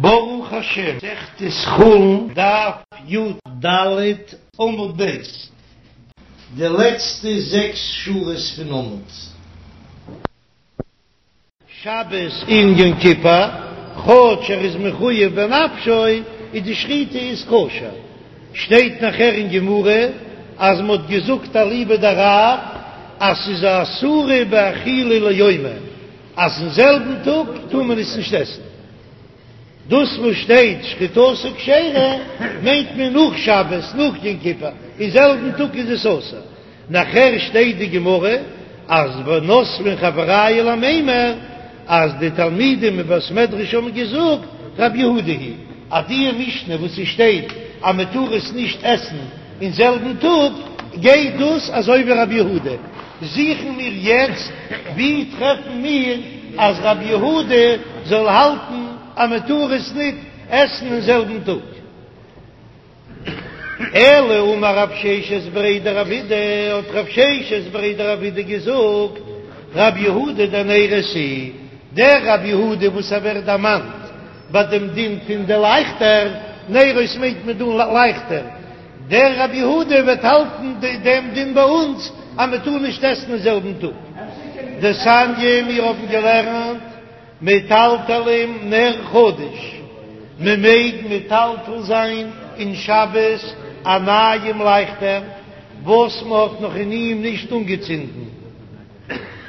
ברוך השם, מסכת חולין, דף י"ד עמוד ב', די לעצטע זעקס שורות פון עמוד. שבת און יום כיפור, כאטש ער איז מחויב בנפשו, איז די שחיטה איז כשר. שטייט נאכער אין גמרא אז מ'האט געזאגט אליבא דרב אז ס'איז אסורה באכילה ליומא, אז אין זעלבן טאג טאר מען עס נישט עסן. דאס וואס שטייט שחיטתו כשרה מיינט מען נאך שבת, נאך יום כיפור, אין זעלבן טאג איז עס אסור. נאכער שטייט די גמרא אז ונותבין חברייא למימר אז די תלמידים אין בית מדרש האבן געזאגט רבי יהודה היא אז די משנה וואס עס שטייט אז מען טאר עס נישט עסן אין זעלבן טאג גייט דאס אזוי ווי רבי יהודה. זוכן מיר יעצט ווי טרעפן מיר אז רבי יהודה זאל האלטן אז מען טאר עס ניט עסן אין זעלבן טאג. אלא אמר רב ששת בריה דרב אידי, האט רב ששת בריה דרב אידי געזאגט, רבי יהודה דנרות היא, דער רבי יהודה וואס ער ווערט דערמאנט ביי דעם דין פון די לייכטער, נרות מיינט מען דא לייכטער, דער רבי יהודה וועט האלטן דעם דין ביי אונז אז מען טאר נישט עסן אין זעלבן טאג. דתניא, מיר האבן געלערנט מטלטלים נר חדש, מען מעג מטלטל זיין אין שבת א נייעם לייכטער וואס מען האט נאך אין אים נישט אנגעצינדן,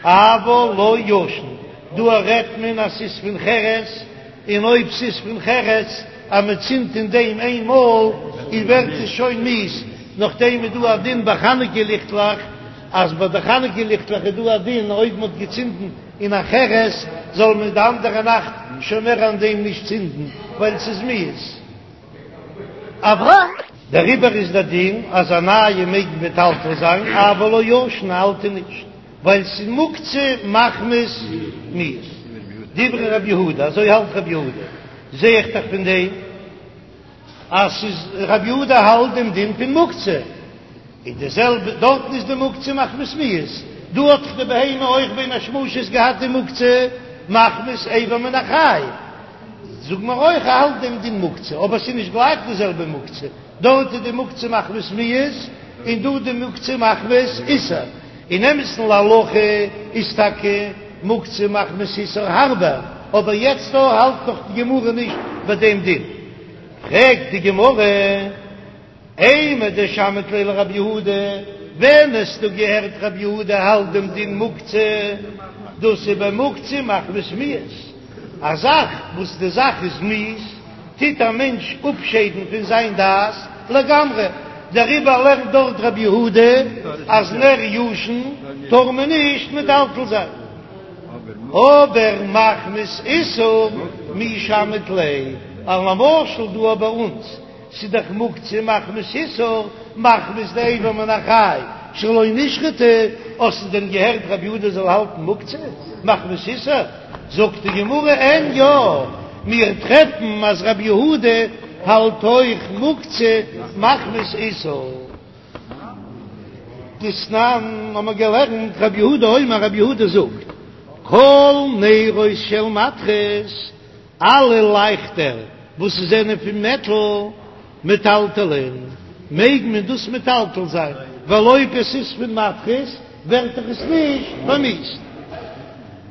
אבל לא ישן, דא רעדט מען אז ס'איז פון חרס, און אויב ס'איז פון חרס אז מען צינדט אין דעם איין מאל איז ווערט עס שוין מיאוס, נאכדעם איז דא א דין ביי חנוכה ליכטלעך אז ביי די חנוכה ליכטלעך איז דא א דין אויב מען האט געצינדן אין א חרס זאל מען די אנדערע נאכט שוין מער אין דעם נישט צינדן ווייל ס'איז מיאוס. אבער דעריבער איז דער דין אז א נייע מעג מטלטל זיין אבל לא ישן, א אלטע נישט ווייל ס'איז מוקצה מחמת מיאוס. דברי רבי יהודה, אזוי האלט רבי יהודה, זע איך דאך פון דעם. אז ס'איז רבי יהודה האלט דעם דין פון מוקצה, און די זעלבע דארטן איז די מוקצה מחמת מיאוס, דא האט דאך די בהמה אויך בין השמשות געהאט די מוקצה מחמת אבר מן החי, זאג מיר אויך ער האלט דעם דין מוקצה, אבער ס'איז נישט גלייך די זעלבע מוקצה, דארט איז די מוקצה מחמת מיאוס און דא די מוקצה מחמת איסור, אין אמת'ן להלכה איז טאקע מוקצה מחמת איסור הארבער, אבער יעצט דא האלט נאך די גמרא נישט ביי דעם דין. פרעגט די גמרא, אימר דשמעת ליה לרבי יהודה, ווען האסטו געהערט רבי יהודה האלט דעם דין מוקצה, דאס איז במוקצה מחמת מיאוס, א זאך וואס די זאך איז מיאוס, טוט א מענטש אפשיידן פון זיין דעת לגמרי, דעריבער לערנט דארט רבי יהודה אז נר ישן טאר מען נישט מטלטל זיין. אבער מחמת איסור מי שמעת ליה, אז למשל דא ביי אונז ס'איז דאך מוקצה מחמת איסור, מחמת די אבר מן החי שלא נשחטה, האסטו דען געהערט רבי יהודה זאל האלטן מוקצה מחמת איסור? זאגט די גמרא אין יא, מיר טרעפן אז רבי יהודה האלט אויך מוקצה מחמת איסור. דתנן האבן מיר געלערנט רבי יהודה אומר רבי יהודה זאגט כל נרות של מתכות אלע לייכטער וואס זענען פון מעטל מטלטלין מעג מען דאס מטלטל זיין ווייל אויב עס איז פון מתכות ווערט דאך עס נישט פארמיאוסט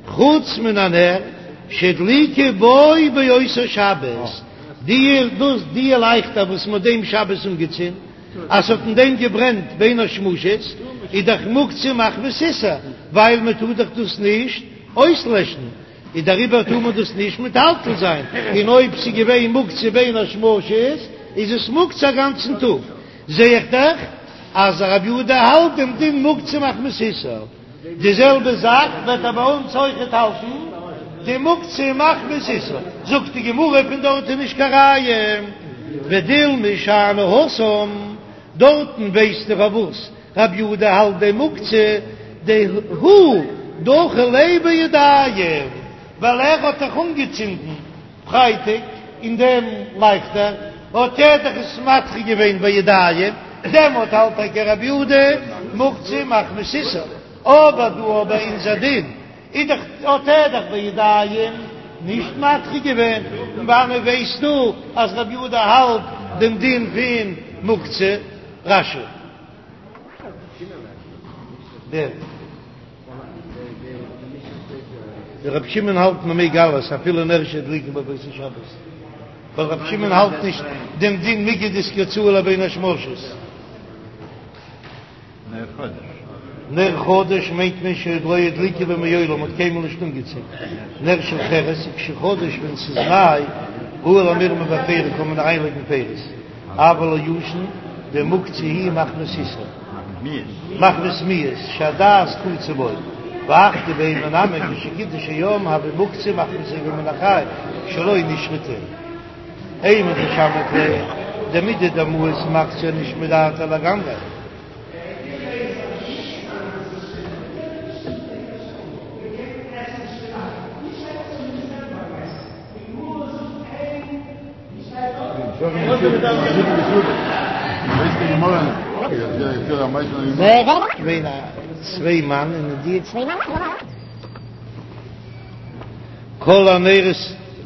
חוץ מן הנר שהדליקו בו באותה שבת די דאס די לייכטער וואס מען האט דעם שבת אנגעצינדן אז ס'האט אין דעם געברענט בין השמשות, איז דאך מוקצה מחמת איסור, ווייל מען טאר דאך דאס נישט אויסלעשן, איז דעריבער טאר מען דאס נישט מטלטל זיין, און אויב ס'איז געווען מוקצה בין השמשות, איז עס מוקצה א גאנצן טאג. זע איך דאך אז רבי יהודה האלט דעם דין מוקצה מחמת איסור. די זעלבע זאך וועט ער ביי אונז אויכעט האלטן, די מוקצה מחמת איסור. זאגט די גמרא פון דארט איז נישט קיין ראיה, ודילמא שאני התם, דארטן ווייסטו פארוואס רבי יהודה האלט די מוקצה, דהוא דחי ליה בידיים, ווייל ער האט דאך אנגעצינדן פרייטאג אין דעם לייכטער, האט ער דאך עס מדחה געווען בידיים, דעמאלט האלט טאקע רבי יהודה מוקצה מחמת איסור, אבער דא ביי אונזער דין איז דאך האט ער דאך בידיים נישט מדחה געווען. וואנען ווייסטו אז רבי יהודה האלט דעם דין פון מוקצה? רש"י. דער רבי שמעון האלט מען מעג אלעס אפילו נר שהדליקו בו באותו שבת, ווייל רבי שמעון האלט נישט דעם דין מיגו דאיתקצאי לבין השמשות. נר חדש. נר חדש מיינט מען שעוד לא הדליקו בו מעולם, מ'האט קיינמאל נישט אנגעצינדן. נר של חרס, וכשחדש ווען ס'איז ניי, ראוי למרמר בפירי קען מען אריינלייגן פירות, אבל לא ישן, דמוקצה הוא מחמת איסור. מחמת מיאוס, שהדעת קצה בו. והך דבהמה נמי כשקידש היום הוי מוקצה מחמת אבר מן החי שלא נשחטה. אימר דשמעת ליה דמידי דמאיס מקצה נישט מדעתיה לגמרי. צוויי מאן און די כל הנרות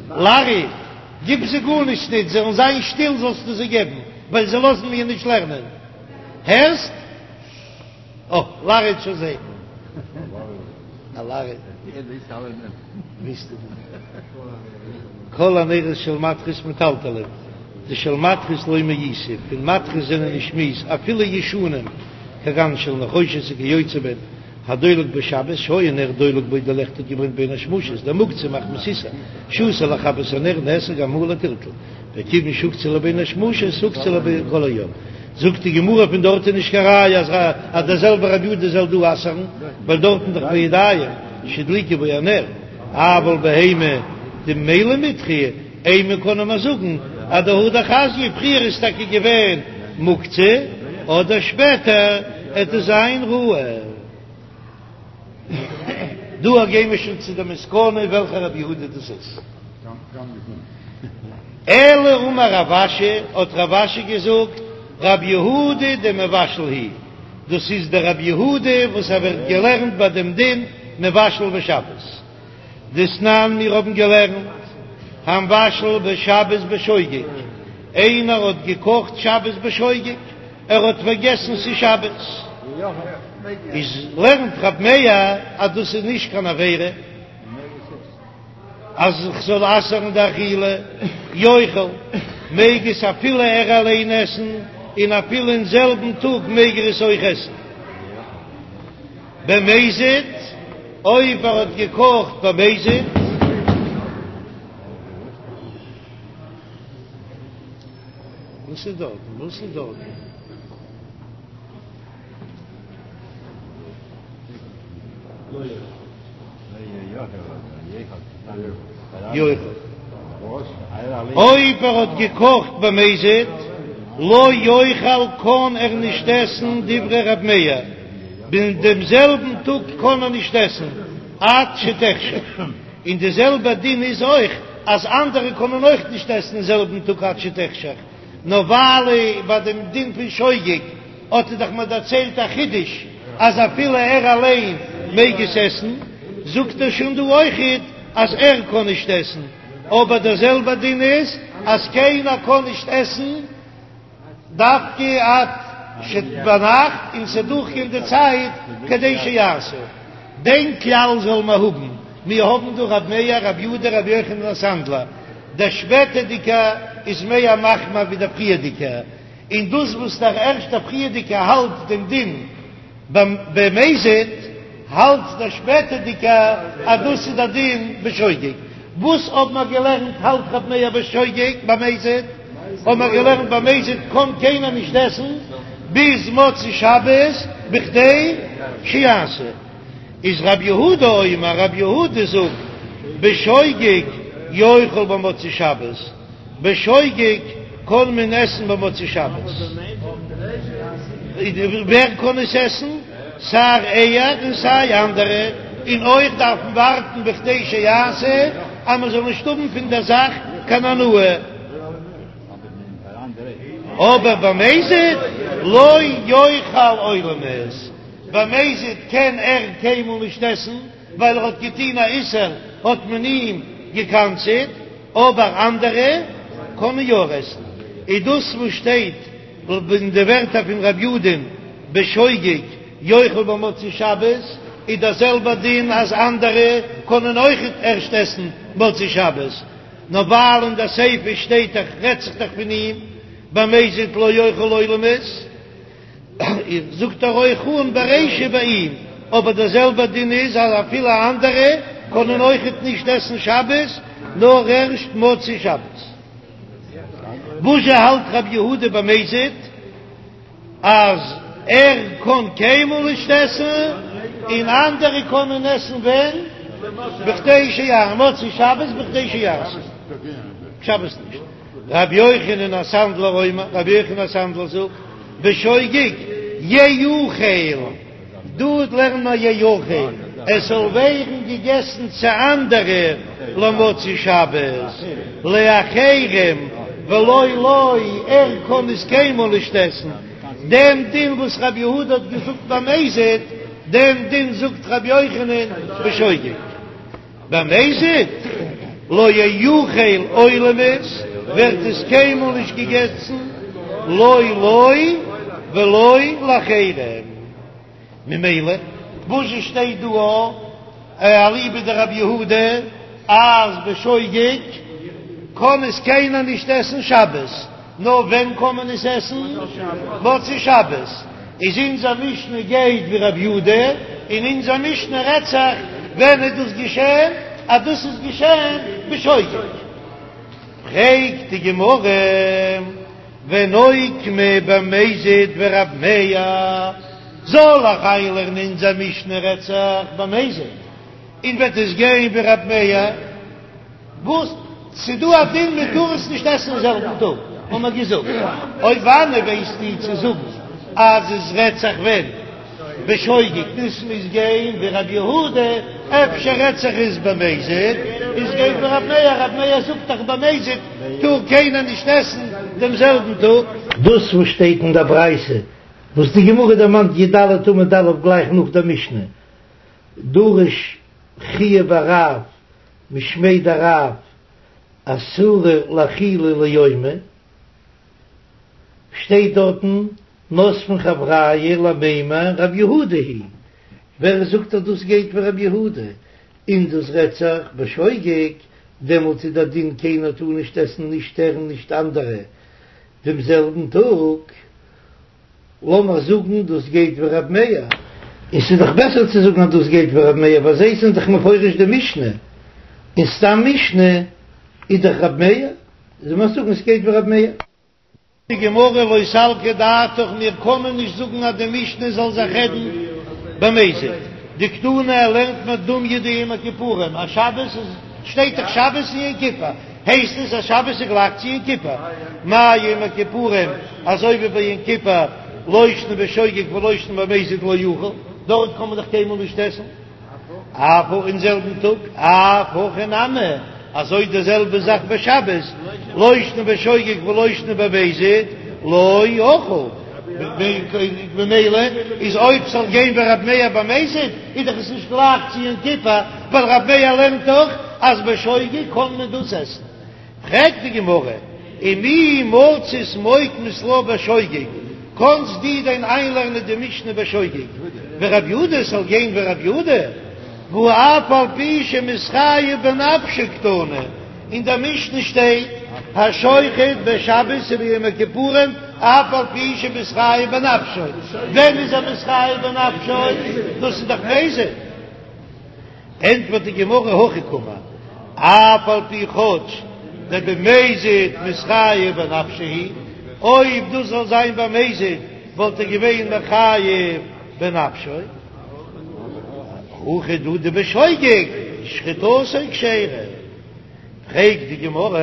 לארי גיב זיי גארנישט ניט, זאלן זיין שטיל זאלסטו זיי געבן, ווייל זיי לאזן מיר נישט לערנען. הערסט? אה, לארי האט שוין זיי. א לארי. כל הנרות של מתכות מטלטלין, דשל מתכות לא מאיסי, פון מתכות זענען נישט מיאוס, אפילו ישנים, כגון של נחושת וכיוצא בהן. הדולק בשבת שהיה נר דולק בו די לעכט האט געברענט בין השמשות דמוקצה מחמת איסור שאסור לכבות הנר נאסר גם הוא לטלטול וכיוון שהוקצה לבין השמשות הוקצה לכל היום זאגט די גמרא פון דארט איז נישט קיין ראיה אז אז דער זעלבער רבי יהודה זאל דא אסר'ן ווייל דארטן דאך בידיים שהדליקו בו הנר אבל בהמה דממילא מידחא אימא קען מען זאגן אז דהדר חזיא פריער איז טאקע געווען מוקצה אדער שפעטער עט עס זיין ראוי. דא גייען מיר שוין צו די מסקנא וועלכע רבי יהודה דאס איז. אלא אמר רב אשי, האט רב אשי געזאגט, רבי יהודה דמבשל היא, דאס איז דער רבי יהודה וואס ער ווערט געלערנט ביי דעם דין מבשל בשבת. דתנן מיר האבן געלערנט, המבשל בשבת בשוגג, איינער האט געקאכט שבת בשוגג, ער האט פארגעסן ס'איז שבת, איז לערנט רב מאיר אז דאס איז נישט קיין עבירה אז כ'זאל אסר'ן די אכילה, יאכל, מעג עס אפילו ער אליין עסן, און אפילו אין זעלבן טאג מעג ער עס אויך עסן. במזיד, אויב ער האט געקאכט במזיד. וואס איז דארטן? וואס איז דארטן? יאכל. אויב ער האט געקאכט במזיד, לא יאכל קען ער נישט עסן דברי ר' מאיר, אין דעם זעלבן טאג קען ער נישט עסן עד שתחשך, און די זעלבע דין איז אויך אז אנדערע קענען אויך נישט עסן אין זעלבן טאג עד שתחשך, נאר ווייל ביי דעם דין פון שוגג האט ער דאך מיר דערציילט א חידוש אז אפילו ער אליין מעג עס עסן, זאגט ער שוין דא אויכעט אז ער קען נישט עסן, אבער דער זעלבער דין איז אז קיינער קען נישט עסן דווקא עד ש ביינאכט און ס'זאל דורכגיין די צייט כדי שיעשה. דעם כלל זאל מען האבן, מיר האבן דא רב מאיר, רב יהודה, רבי יוחנן הסנדלר, דער שפעטערדיגער איז מער מחמיר ווי דער פריערדיגער, און דאס וואס דער ערשטער פריערדיגער האלט דעם דין במזיד, האלט דער שפעטערדיגער אז דאס איז דער דין בשוגג. וואס האבן מיר געלערנט האלט רב מאיר בשוגג, במזיד האבן מיר געלערנט במזיד קען קיינער נישט עסן ביז מוצאי שבת בכדי שיעשה. איז רב יהודה אומר, רב יהודה זאגט בשוגג יאכל במוצאי שבת. בשוגג קען מען עסן במוצאי שבת. ווער קען עס עסן? סיי ער און סיי אנדערע, און אויך דארף מען ווארטן בכדי שיעשה אז מען זאל נישט האבן פון דער זאך קיין הנאה. אבער במזיד לא יאכל עולמית, במזיד קען ער קיינמאל נישט עסן, ווייל ער האט געטון א איסור האט מען אים גע'קנס'עט. אבער אנדערע קענען יא עסן, איז דאס וואס שטייט אין די ווערטער פון רב יודא'ן בשוגג יאכל במוצאי שבת, איז דער זעלבער דין אז אנדערע קענען אויכעט ערשט עסן מוצאי שבת, נאר ווייל אין דער סיפא שטייט דאך רעדט זיך דאך פון אים במזיד לא יאכל עולמית. זאגט ער אויך אן ברישא ביי אים, אבער דער זעלבער דין איז אז אפילו אנדערע קענען אויכעט נישט עסן שבת נאר ערשט מוצאי שבת. וואזשע האלט רבי יהודה במזיד אז ער קען קיינמאל נישט עסן און אנדערע קענען עסן ווען? בכדי שיעשה מוצאי שבת בכדי שיעשה שבת נישט. רבי יוחנן הסנדלר אומר, רבי יוחנן הסנדלר זאגט, בשוגג יאכל, דא לערנט מען יאכל, עס זאל ווערן געגעסן צו אנדערע למוצאי שבת, לאחרים ולא לו, ער קען עס קיינמאל נישט עסן, דעם דין וואס רבי יהודה האט געזאגט במזיד, דעם דין זאגט רבי יוחנן בשוגג. במזיד לא יאכל עולמית ווערט עס קיינמאל נישט געגעסן, לא לו ולא לאחרים. ממילא וואס שטייט דא אליבא דרבי יהודה אז בשוגג קען עס קיינער נישט עסן שבת, נאר ווען קען מען עס עסן? מוצאי שבת. איז אונזער משנה גייט ווי רבי יהודה, און אונזער משנה רעדט זיך ווען איז דאס געשען, אז דאס איז געשען בשוגג. פרעגט די גמרא, ונוקמה במזיד ורב מאיר, זאל איך איינלערנען אונזער משנה רעדט זיך במזיד, און וועט עס גיין ווי רב מאיר? וואס? ס'דא א דין מען טאר עס נישט עסן אין זעלבן טאג, האט מען געזאגט, אויב וואנעט ווייסטו צו זאגן אז עס רעדט זיך ווען בשוגג, דאס מוז גיין ווי רבי יהודה, אפשר רעדט זיך עס במזיד, עס גייט ווי רבי מאיר, רבי מאיר זאגט דאך במזיד טאר קיינער נישט עסן דעם זעלבן טאג. דאס וואס שטייט אין דער ברייתא וואס די גמרא דערמאנט י"ד עמוד א' גלייך נאך דער משנה, דרש חייא בר רב משמיה דרב אסורה לאכילה ליומא, שטייט דארטן כותבין חבריא למימר רב יהודה היא, ווער זאגט אז דאס גייט ווי רב יהודה, און דאס רעדט זיך בשוגג, דעמאלט איז דער דין קיינער טאר נישט עסן נישט ער און נישט אנדערע דעם זעלבן טאג. לאמיר זאגן דאס גייט ווי רב מאיר, און ס'איז דאך בעסער צו זאגן אז דאס גייט ווי רב מאיר ווייל זיי זענען דאך מפרש די משנה, און סתם משנה איז דאך רב מאיר, זאל מען זאגן ס'גייט ווי רב מאיר. די גמרא לא סלקא דעתך, מיר קענען נישט זאגן אז די משנה זאל זיך רעדן במזיד, דקתני ער לערנט מיר דומיא דיום הכיפורים אז שבת איז שטייט דאך שבת און יום כיפור, הייסט עס אז שבת איז גלייך צו יום כיפור, מה יום הכיפורים אזוי ווי ביי יום כיפור לא שנא בשוגג ולא שנא במזיד לא יאכל, דארט קען מען דאך קיינמאל נישט עסן אף אין זעלבן טאג, אף הכא נמי, אזוי די זעלבע זאך ביי שבת, לא שנא בשוגג ולא שנא במזיד לא יאכל, ממילא איז אויב ס'זאל גיין ווי רב מאיר במזיד איז דאך עס נישט גלייך צו יום כיפור, ווייל רב מאיר לערנט דאך אז בשוגג קען מען דאס עסן. פרעגט די גמרא, ומי מצית מוקמת לה בשוגג, קאנסט דו דען איינלערנען די משנה בשוגג ורב יהודה ס'זאל גיין ווי רב יהודה, והא אף על פי שמתחייב בנפשו קתני, אין דער משנה שטייט השוחט בשבת וביום הכיפורים אף על פי שמתחייב בנפשו, ווען איז ער מתחייב בנפשו? דאס איז דאך מזיד. ענטפערט די גמרא הכי קאמר, אף על פי כאטש דבמזיד מתחייב בנפשו הוא, אויב דאס זאל זיין במזיד וואלט ער געווען מחייב בנפשו, הכא דא דבשוגג שחיטתו כשרה. פרעגט די גמרא,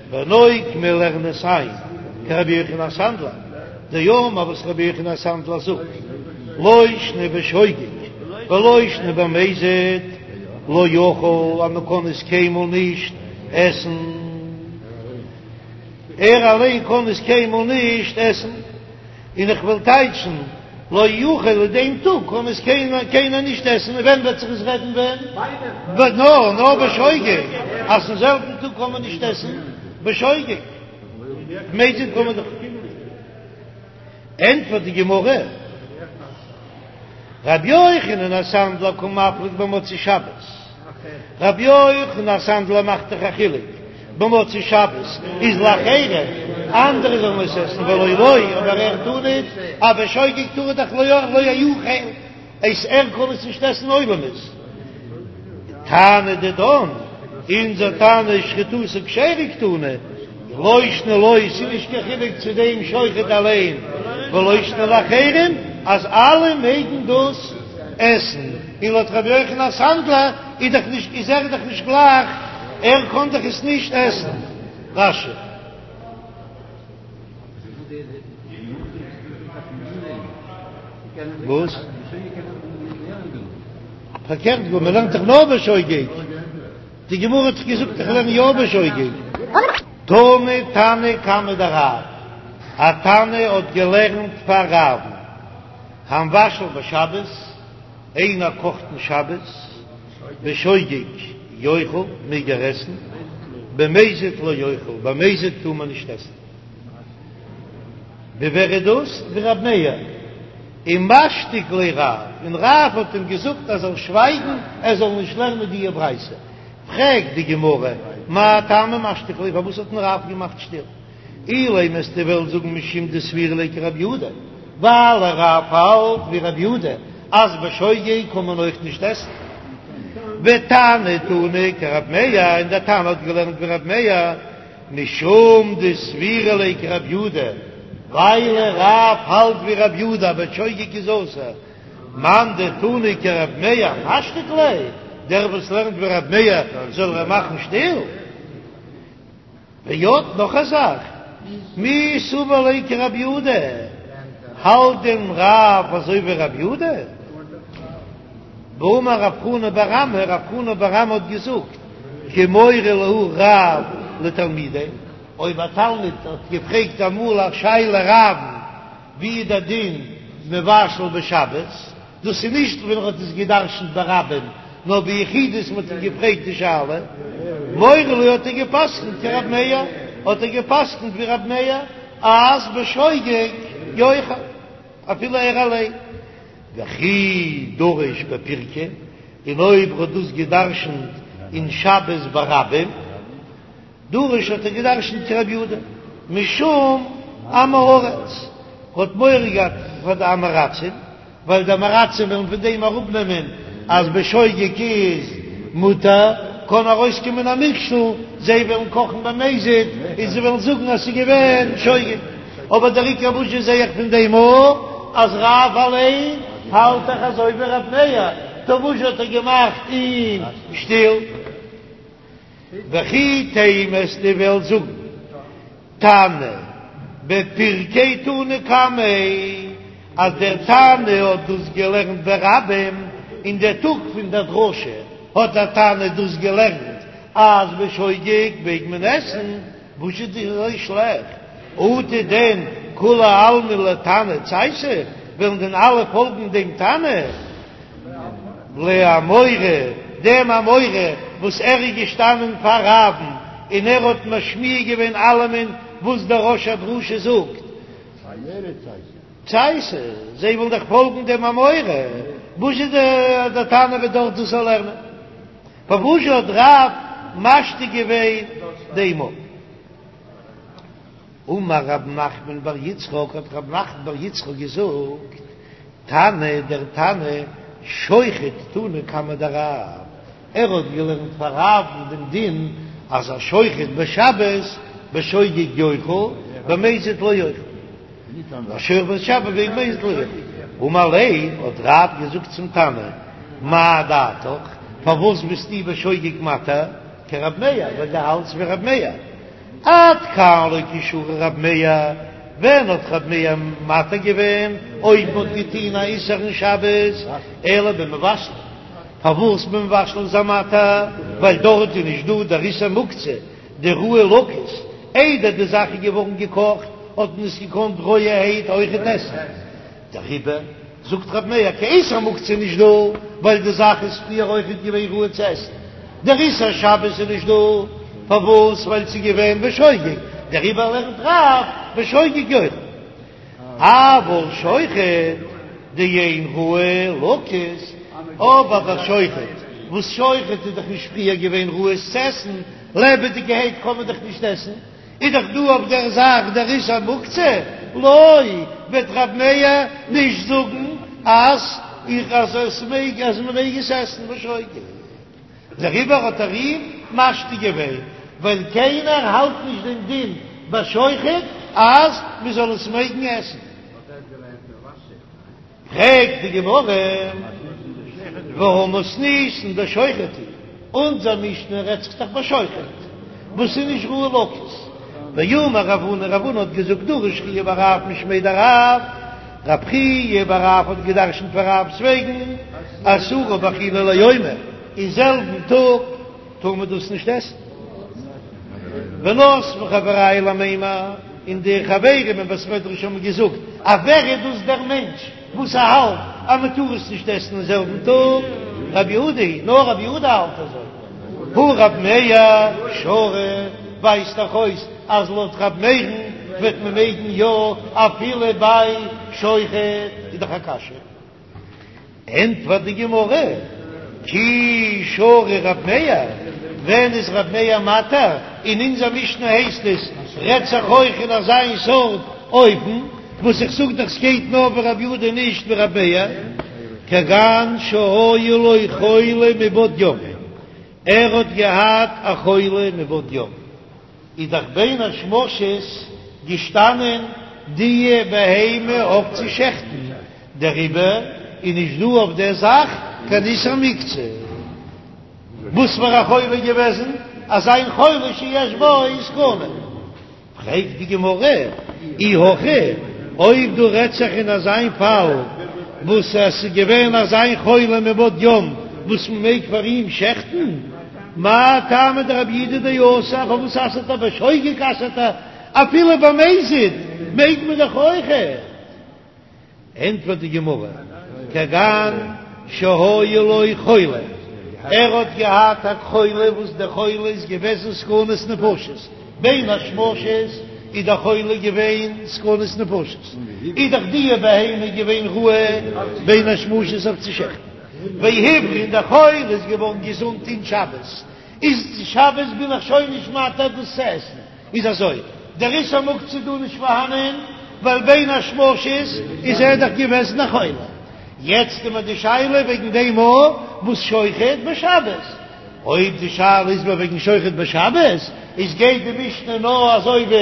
ונוקמה לערן עס איין כרבי יוחנן הסנדלר, דאמר וואס רבי יוחנן הסנדלר זאגט, לא שנא בשוגג ולא שנא במזיד, לא יאכל אז מען קען עס קיינמאל נישט עסן, ער אליין קען עס קיינמאל נישט עסן. און איך וועל טייטשן לא יאכל אין דעם טאג קען עס קיינער נישט עסן, און ווען וועט זיך עס רעדן ווען? נאר נאר בשוגג. אז אין זעלבן טאג קען מען נישט עסן בשוגג, מזיד קען מען דאך. ענטפערט די גמרא, רבי יוחנן הסנדלר קא מפליג במוצאי שבת, רבי יוחנן הסנדלר מאכט דאך א חילוק, במוצאי שבת איז לאחרים, אנדערע זאלן עס עסן ולא לו, אבער ער טאר ניט, א בשוגג טאר ער דאך לא יאכל. עס ער קען עס נישט עסן עולמית. תנא דידן, אונזער תנא שחיטתו כשרה קתני, לא שנא לו, ס'איז נישט קיין חילוק צו דעם שוחט אליין, ולא שנא לאחרים, אז אלע מעגן דאס עסן, און לויט רבי יוחנן הסנדלר איז דאך נישט איז ער דאך נישט גלייך, ער קען דאך עס נישט עסן. רש"י. וואס? פארקערט גאר, מען לערנט דאך נאר בשוגג. די גמרא האט דאך געזאגט איך לערן יא בשוגג. תני תנא קמיה דרב, א תנא האט געלערנט פאר רב'ן, המבשל בשבת, איינער קאכט אין שבת, בשוגג יאכל, מעג ער עסן, במזיד לא יאכל, במזיד טאר מען נישט עסן. ווי ווער איז דאס? ווי רב מאיר. ומשתיק ליה רב, און רב האט אים געזאגט ער זאל שווייגן, ער זאל נישט לערנען די ברייתא. פרעגט די גמרא, מאי טעמא משתיק ליה, פארוואס האט אים רב געמאכט שטיל? אילימא וועסטו וועלן זאגן משום דסבירא ליה כרב יהודה, ווייל רב האלט ווי רב יהודה אז בשוגג קען מען אויך נישט עסן. ותנא תני כרב מאיר, און דער תנא האט געלערנט ווי רב מאיר, משום דסבירא ליה כרב יהודה, ווייל רב האלט ווי רב יהודה בשוגג איז אסור, מאן דתני כרב מאיר משתיק ליה, דער וואס לערנט ווי רב מאיר זאל ער מאכן שטיל. ועוד נאך א זאך, מי סבר ליה כרב יהודה, האלט דען רב אזוי ווי רב יהודה? והאמר רב חנא בר אמי, רב חנא בר אמי האט געזאגט, כי מורה להו רב לתלמידיה, אויב א תלמיד האט געפרעגט אמאל א שאלה רב'ן ווי איז דער דין מבשל בשבת, דאס איז נישט ווען ער האט עס גע'דרש'נט ברבים, נאר ביחידות מען האט אים געפרעגט די שאלה, מורה להו האט ער גע'פסק'נט כרב מאיר, האט ער גע'פסק'נט ווי רב מאיר אז בשוגג יאכל אפילו ער אליין. וכי דריש בפירקא, און אויב ער האט דאס גע'דרש'נט אין שבת ברבים, דריש האט ער געדרשנט כרבי יהודה משום עם הארץ, האט מורא געהאט פאר די עם הארצים, ווייל די עם הארצים וועלן פון דעם אראפנעמען אז בשוגג איז מותר, קען ארויסקומען א מכשול, זיי וועלן קאכן במזיד און זיי וועלן זאגן אז ס'איז געווען שוגג. אבער דער עיקר וואס זשע זעה איך פון דעם א אז רב אליין האלט דאך אזוי ווי רב מאיר, טא וואס זשע האט ער געמאכט אים שטיל? וכי תימא וועסטו וועלן זאגן תנא בפירקא תני קמיה אז דער תנא האט דאס געלערנט ברבים אין דער טאג פון דער דרשה האט דער תנא דאס געלערנט אז בשוגג מעג מען עסן, וואס איז דאס אזוי שלעכט? אטו דען כולי עלמא לתנא צייתי, וועלן דען אלע פאלגן דעם תנא? לאמורא, דעם אמורא וואס ער איז געשטאנען פאר רב'ן און ער האט משמיע געווען אלעמען וואס דער ראש הדרשה זאגט. צייתי, זיי ווילן דאך פאלגן דעם אמורא, וואס איז דער תנא וועט דארט דאס לערנען? פארוואס האט רב משתיק געווען דעם? אמר רב נחמן בר יצחק, האט רב נחמן בר יצחק געזאגט, תנא דער תנא שוחט תני קמיה דרב, ער האט געלערנט פאר רב'ן דעם דין אז א שוחט בשבת בשוגג יאכל במזיד לא יאכל, השוחט בשבת במזיד לא יאכל, אמר ליה האט רב געזאגט צום תנא, מאי דעתיך, פארוואס ביסטו בשוגג מתיר כרב מאיר, ווייל דו האלטסט ווי רב מאיר. עד כאן לא קא שרי רב מאיר, ווען האט רב מאיר מתיר געווען אויב מ'האט געטוהן א איסור אין שבת, אלא במבשלין, פארוואס במבשלין איז ער מתיר, ווייל דארט איז נישט דא דער איסור מוקצה, דראוי לקוס, איידער די זאך איז געווארן געקאכט האט מען עס געקאנט רויערהייט אויכעט עסן, דעריבער זאגט רב מאיר קיין איסור מוקצה איז נישט דא, ווייל די זאך איז פריער אויכעט געווען ראוי צו עסן. דער איסור שבת איז נישט דא, פארוואס? ווייל ס'איז געווען בשוגג, דעריבער לערנט רב בשוגג יאכל. אבל שוחט דאין ראוי לכות, אבער ביי שוחט, וואס שוחט איז דאך נישט פריער געווען ראוי עס צו עסן, לעבעדיגערהייט קען מען דאך נישט עסן, איז דאך דא אויף דער זאך דער איסור מוקצה, לא, וועט רב מאיר נישט זאגן אז איך אז עס מעג אז מען מעג עס עסן בשוגג. דעריבער האט ער אים משתיק געווען, ווייל קיינער האלט נישט דעם דין ביי שוחט אז מען זאל עס מעגן עסן. פרעגט די גמרא, והא מתניתין דשוחט היא, אונזער משנה רעדט זיך דאך ביי שוחט וואס איז נישט ראוי לכות, ואמר רב הונא, רב הונא האט געזאגט דרש חייא בר רב משמיה דרב, רב חייא בר רב האט געדרשנט פאר רב'ס וועגן, אסורה באכילה ליומיה, אין זעלבן טאג טאר מען דאס נישט עסן. ונתבי חברייא למימר, און די חברים אין בית מדרש האבן געזאגט, אז ווער איז דאס דער מענטש וואס ער האלט אז מען טאר עס נישט עסן אין זעלבן טאג? רבי יהודה היא, נאר רבי יהודה האלט אזוי. הא רב מאיר שרי, ווייזט דאך אויס אז לויט רב מאיר'ן וועט מען מעגן יא אפילו ביי שוחט, איז דאך א קשיא. ענטפערט די גמרא, כי שרי רב מאיר, ווען איז רב מאיר מתיר? אין אונזער משנה הייסט עס רעדט זיך אויך אין אזיין סארט אופן, וואס איך זאג דאך ס'גייט נאר ווי רב יהודה נישט ווי רב מאיר, כגון שהיה לו חולה מבעוד יום, ער האט געהאט א חולה מבעוד יום. איז דאך בין השמשות געשטאנען די בהמה אויף צו שעכטן, דעריבער איז נישט דא אויף דער זאך קיין איסור מוקצה. וואס פאר א חולה געוועזן? אזא חולה שיש בו סכנה. פרעגט די גמרא, אי הכי, אויב דא רעדט זיך אין אזא פאל וואס עס איז געווען אזא חולה מבעוד יום וואס מען מעג פאר אים שעכטן, מאי טעמא דרבי יהודה דאסר, פארוואס אסר'ט ער בשוגג אסר'ט ער אפילו במזיד מעג מען דאך אויכעט. ענטפערט די גמרא, כגון שהיה לו חולה, ער האט געהאט א חולה וואס דער חולה איז געוועזן סכנת נפשות, בין השמשות איז דער חולה געווען סכנת נפשות, איז דאך די בהמה געווען ראוי בין השמשות אויף צו שעכטן. והבריא און דער חולה איז געווארן געזונט אין שבת, איז שבת בין איך שוין נישט מתיר דאס צו עסן, איז אזוי, דער איסור מוקצה דא נישט פארהאנען, ווייל בין השמשות איז ער דאך געוועזן א חולה, יעצט איז מיר די שאלה וועגן דעם וואס שוחט בשבת, אויב די שאלה איז מיר וועגן שוחט בשבת, איז גייט די משנה נאר אזוי ווי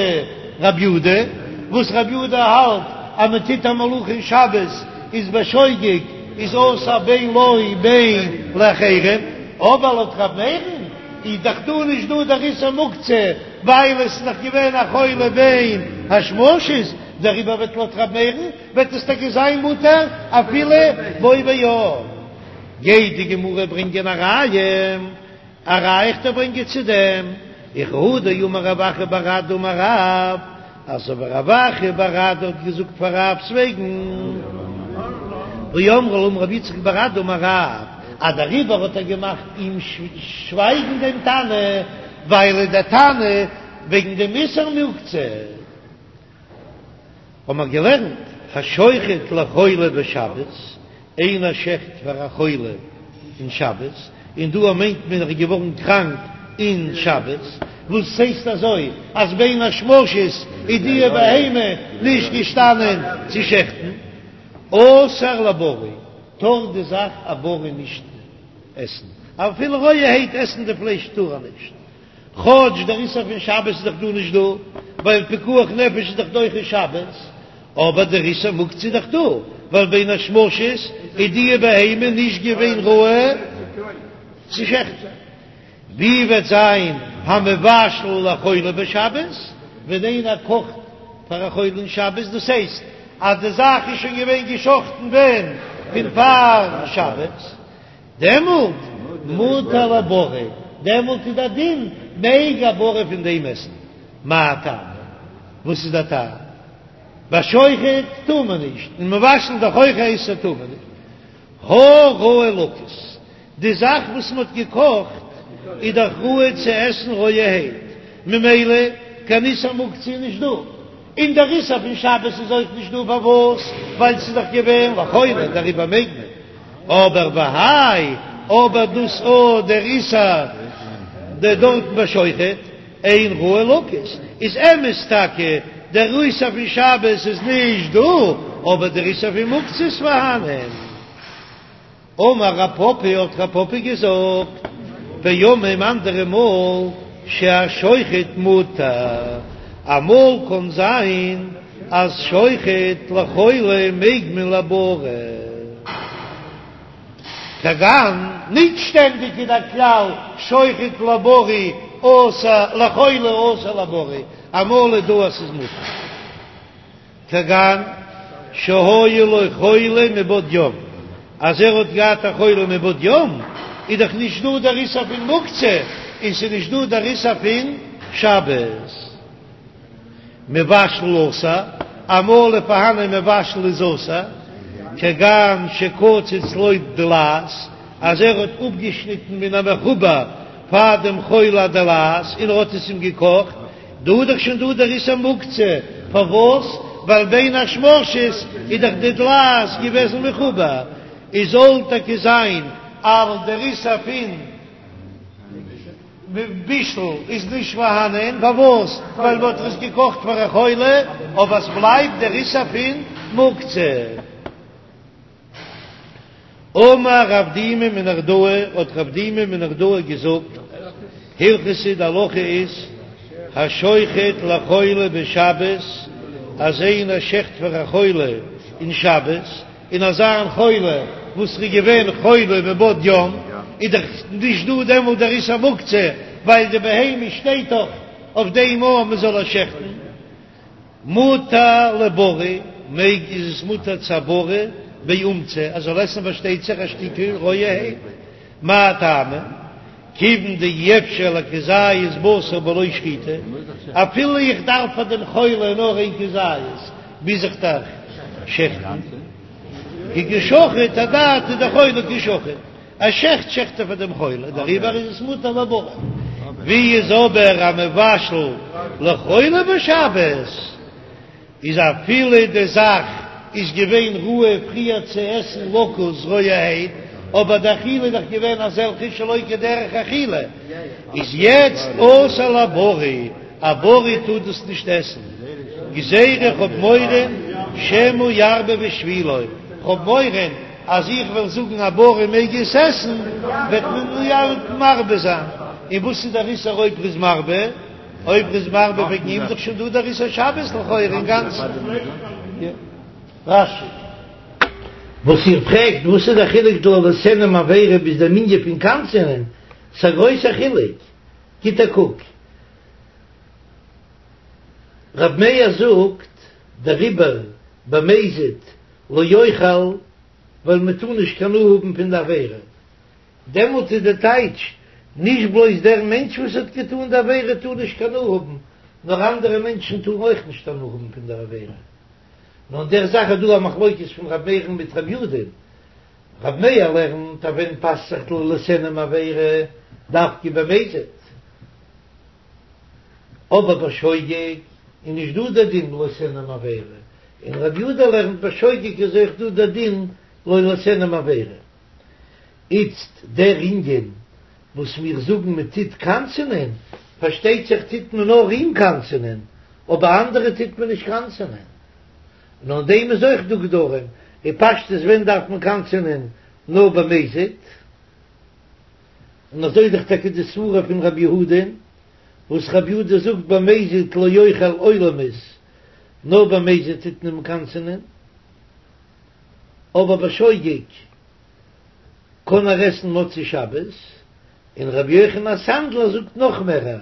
רב יודא, וואס רב יודא האלט אז מען טוט א מלאכה אין שבת איז בשוגג איז אסור בין לו בין לאחרים, אבער לויט ר' מאיר'ן איז דאך דא נישט דא דער איסור מוקצה ווייל עס איז דאך געווען א חולה בין השמשות, דעריבער וועט לויט ר' מאיר'ן וועט עס טאקע זיין מותר אפילו בו ביום. גייט די גמרא ברענגען א ראיה, א ראיה איך דיר ברענגען צו דעם, וכי הא דאמר רב אחא בר אדא אמר רב, אזוי ווי רב אחא בר אדא האט געזאגט פאר רב'ס וועגן, ואמרי לה אמר רב יצחק בר אדא אמר רב, אז דעריבער האט ער געמאכט אים שווייגן דעם תנא, ווייל דער תנא וועגן דעם איסור מוקצה. האבן מיר געלערנט, השוחט לחולה בשבת, איינער שעכט פאר א חולה אין שבת, און דא מיינט מען ער איז געווארן קראנק אין שבת, וואס הייסט אזוי אז בין השמשות איז די בהמה נישט געשטאנען צו שעכטן, אסור לבריא, טאר די זאך א בריא נישט עסן, אפילו רויערהייט עסן די פלייש טאר ער נישט. כאטש דער איסור פון שבת איז דאך דא נישט דא, ווייל פיקוח נפש איז דאך דוחה שבת, אבער דער איסור מוקצה איז דאך דא, ווייל בין השמשות איז די בהמה נישט געווען ראוי צו שעכטן. ווי וועט זיין המבשל לחולה בשבת, ווען איינער קאכט פאר א חולה אין שבת, דאס הייסט אז די זאך איז שוין געווען געשאכטן ווען? פון פאר שבת. דעמאלט מותר לבריא, דעמאלט איז דער דין מעג א בריא פון דעם עסן. מאי טעמא? וואס איז דער טעם? ביי שוחט טאר מען נישט, און מבשל דאך אויך א איסור טאר מען נישט. הא ראוי לכות, די זאך וואס מען האט געקאכט. איז דאך ראוי צו עסן רויערהייט, ממילא קיין איסור מוקצה איז נישט דא, און דער איסור פון שבת איז אויך נישט דא, פארוואס? ווייל ס'איז דאך געווען לחולה, דעריבער מעג מען. אבער והאי, אבער דאס או דער איסור דארטן בשוחט, אין ראוי לקוס, איז אמת טאקע דער איסור פון שבת איז נישט דא, אבער דער איסור פון מוקצה איז פארהאנען. אמר רב פפא האט רב פפא געזאגט, פעמים אנדערע מאל שהשוחט מותר, אמאל קען זיין אז שוחט לחולה מעג מען לבריא. כגון, נישט שטענדיג איז דער כלל שוחט לבריא אסור לחולה אסור לבריא, אמאל איז דא אז ס'איז מותר. כגון שהיה לו חולה מבעוד יום, אז ער האט געהאט א חולה מבעוד יום, איז דאך נישט דא דער איסור פון מוקצה, און ס'איז נישט דא דער איסור פון שבת. מבשל אסור, אמאל איז פארהאנען מבשל איז אסור, כגון שקצץ לו דלעת, אז ער האט אפגעשניטן מן המחובר פאר דעם חולה דלעת און ער האט עס אים געקאכט, דא איז דאך שוין דא דער איסור מוקצה, פארוואס? ווייל בין השמשות איז דאך די דלעת געוועזן מחובר, איז זאל טאקע זיין אז דער איסור פון בישול איז נישט פארהאנען, פארוואס? ווייל מען האט עס געקאכט פאר א חולה, אבער עס בלייבט דער איסור פון מוקצה. אמר רב דימי מנהרדעא, האט רב דימי מנהרדעא געזאגט, הלכתא די הלכה איז, השוחט לחולה בשבת, אז איינער שעכט פאר א חולה אין שבת, און אזא חולה וואס איז געווען חולה מבעוד יום, איז דאך נישט דא דעמאלט דער איסור מוקצה, ווייל די בהמה שטייט דאך אויף דעם אז מען זאל איר שעכטן. מותר לבריא, מעג איז עס מותר צו א בריא באומצא, ער זאל עסן פארשטייט זיך א שטיקל רויערהייט, מאי טעמא? כיוון דאי אפשר לכזית בשר בלא שחיטה, אפילו איך דארף פאר דעם חולה נאר איין כזית, מוז איך דאך שעכטן, כי קא שחיט אדעתא דחולה קא שחיט. ער שעכט שעכט ער פאר דעם חולה, דעריבער איז עס מותר לבריא. ווי איז אבער א מבשל לחולה בשבת, איז אפילו די זאך איז געווען ראוי פריער צו עסן לקוס רויערהייט, אבער די אכילה איז דאך געווען אזעלכע שלא כדרך אכילה, איז יעצט אסור לבריא, א בריא טאר דאס נישט עסן, גזירה איך האב מורא שמא ירבה בשבילו, כ'האב מורא אז איך וועל זאגן א בריא מעג עס עסן, וועט מען יא מרבה זיין. און וואס איז דער איסור אויב ר'איז מרבה? אויב ר'איז מרבה וועגן אים איז דאך שוין דא דער איסור שבת לכאורה אינגאנצן. רש"י. וואס איר פרעגט וואס איז דער חילוק דא לא תיהני מעבירה ביז דעם ענין פון קנס'ענען, ס'איז א גרויסער חילוק, גיט א קוק. ר' מאיר זאגט דעריבער במזיד לא יאכל ווייל מען טאר נישט קיין הנאה האבן פון די עבירה, דעמאלט איז די טייטש, נישט בלויז דער מענטש וואס האט געטאן די עבירה טאר נישט קיין הנאה האבן, נאר אנדערע מענטשן טארן אויך נישט הנאה האבן פון דער עבירה. נאר אין דער זאך איז דא א מחלוקת פון ר' מאיר'ן מיט ר' יודא'ן. ר' מאיר לערנט אז ווען פאסט זיך לא תיהני מעבירה דווקא במזיד. אבער בשוגג איז נישט דא דער דין לא תיהני מעבירה, און רבי יודא לערנט בשוגג איז אויך דא דער דין לא תיהני מעבירה. איצט דער ענין וואס מיר זאגן מען טוט קנס'ענען, פארשטייט זיך טוט מען נאר אים קנס'ענען, אבער אנדערע טוט מען נישט קנס'ענען. און אין דעם איז אויך דא גדרים, אין פשטות ווען דארף מען קנס'ענען נאר במזיד? און אזוי איז דאך טאקע די סברה פון רבי יהודה'ן, וואס רבי יהודה זאגט במזיד לא יאכל עולמית, נאר במזיד טוט מען אים קנס'ענען, אבער בשוגג קען ער עסן מוצאי שבת, און רבי יוחנן הסנדלר זאגט נאך מער,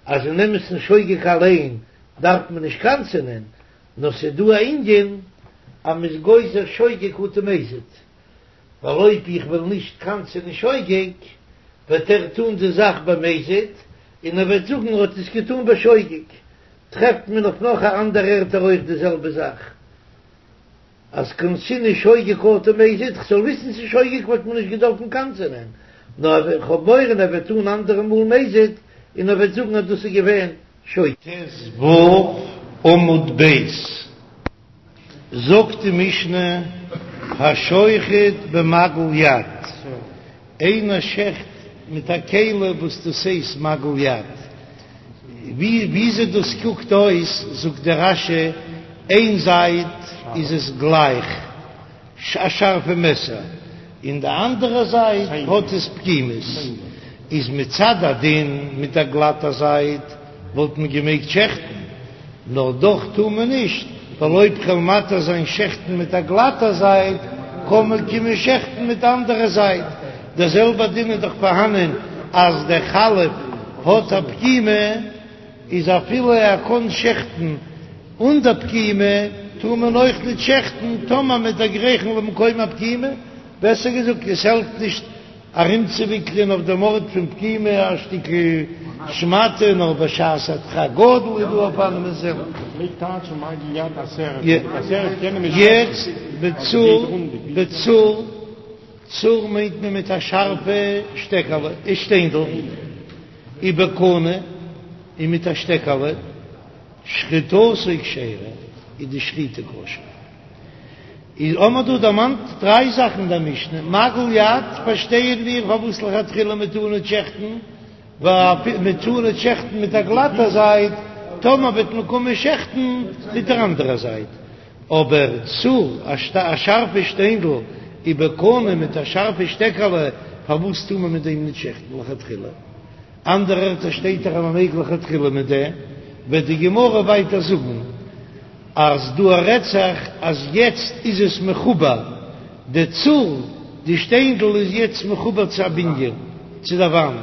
אז אין אמת'ן שוגג אליין דארף מען נישט קנס'ענען, נאר ס'איז דא א ענין אז מ'איז גוזר שוגג אטו מזיד. ווייל אויב איך וועל נישט קנס'ענען שוגג, וועט ער טון די זאך במזיד, און ער וועט זאגן ער האט עס געטון בשוגג. טרעפט מען אויף נאך א אנדער ערטער אויך די זעלבע זאך, אז קנסינהו שוגג אטו מזיד, כ'זאל וויסן ס'איז שוגג וואלט מען נישט געדארפן קנס'ענען. נאר איך האב מורא ער וועט טון אנדערע מאל מזיד און ער וועט זאגן אז דאס איז געווען שוגג. ט"ו עמוד ב'. זאגט די משנה, השוחט במגל יד, איינער שעכט מיט א כלי וואס דאס הייסט מגל יד, ווי וויאזוי דאס קוקט אויס, זאגט דער רש"י, איין זייט איז עס גלייך, א שארפע מעסער, און די אנדערע זייט האט עס פגימות, איז מצד הדין מיט א גלאטע זייט וואלט מען געמעגט שעכטן, נאר דאך טאר מען נישט, ווייל אויב כ'וועל מתיר זיין שעכטן מיט א גלאטע זייט, קען מען קומען שעכטן מיט די אנדערע זייט. דער זעלבער דין איז דאך פארהאנען אז דער חלף האט א פגימה, איז אפילו ער קען שעכטן אן דער פגימה, טאר מען אויך נישט שעכטן טאמער מ'וועט דערגרייכן למקום הפגימה, בעסער געזאגט, עס העלפט נישט ארומצואוויקלען אויף דעם ארט פון פגימה א שטיקל שמאטע, נאר בשעת הדחק גדול איז דא אופנים אין זעלבן. יעצט בצור, בצור, צור מיינט מען מיט א שארפע שטעקעלע, שטיינדל, ובקנה, און מיט א שטעקעלע, שחיטתו כשרה, איז די שחיטה כשר. איז האמער דא דערמאנט דריי זאכן אין דער משנה, מגל יד פארשטייען מיר פארוואס לכתחילה מען טאר ניט שעכטן, ווייל מען טאר ניט שעכטן מיט א גלאטע זייט, טאמער וועט מען קומען שעכטן מיט דער אנדערע זייט. אבער צור, א שארפע שטיינדל, ובקנה מיט א שארפע שטעקעלע, פארוואס טאר מען מיט דעם ניט שעכטן לכתחילה? אנדערע ערטער שטייט דאך אז מען מעג לכתחילה מיט דעם, וועט די גמרא ווייטער זאגן. אז דא רעדט זיך אז יעצט איז עס מחובר, די צור, די שטיינדל איז יעצט מחובר צו א בנין, צו דער וואנט,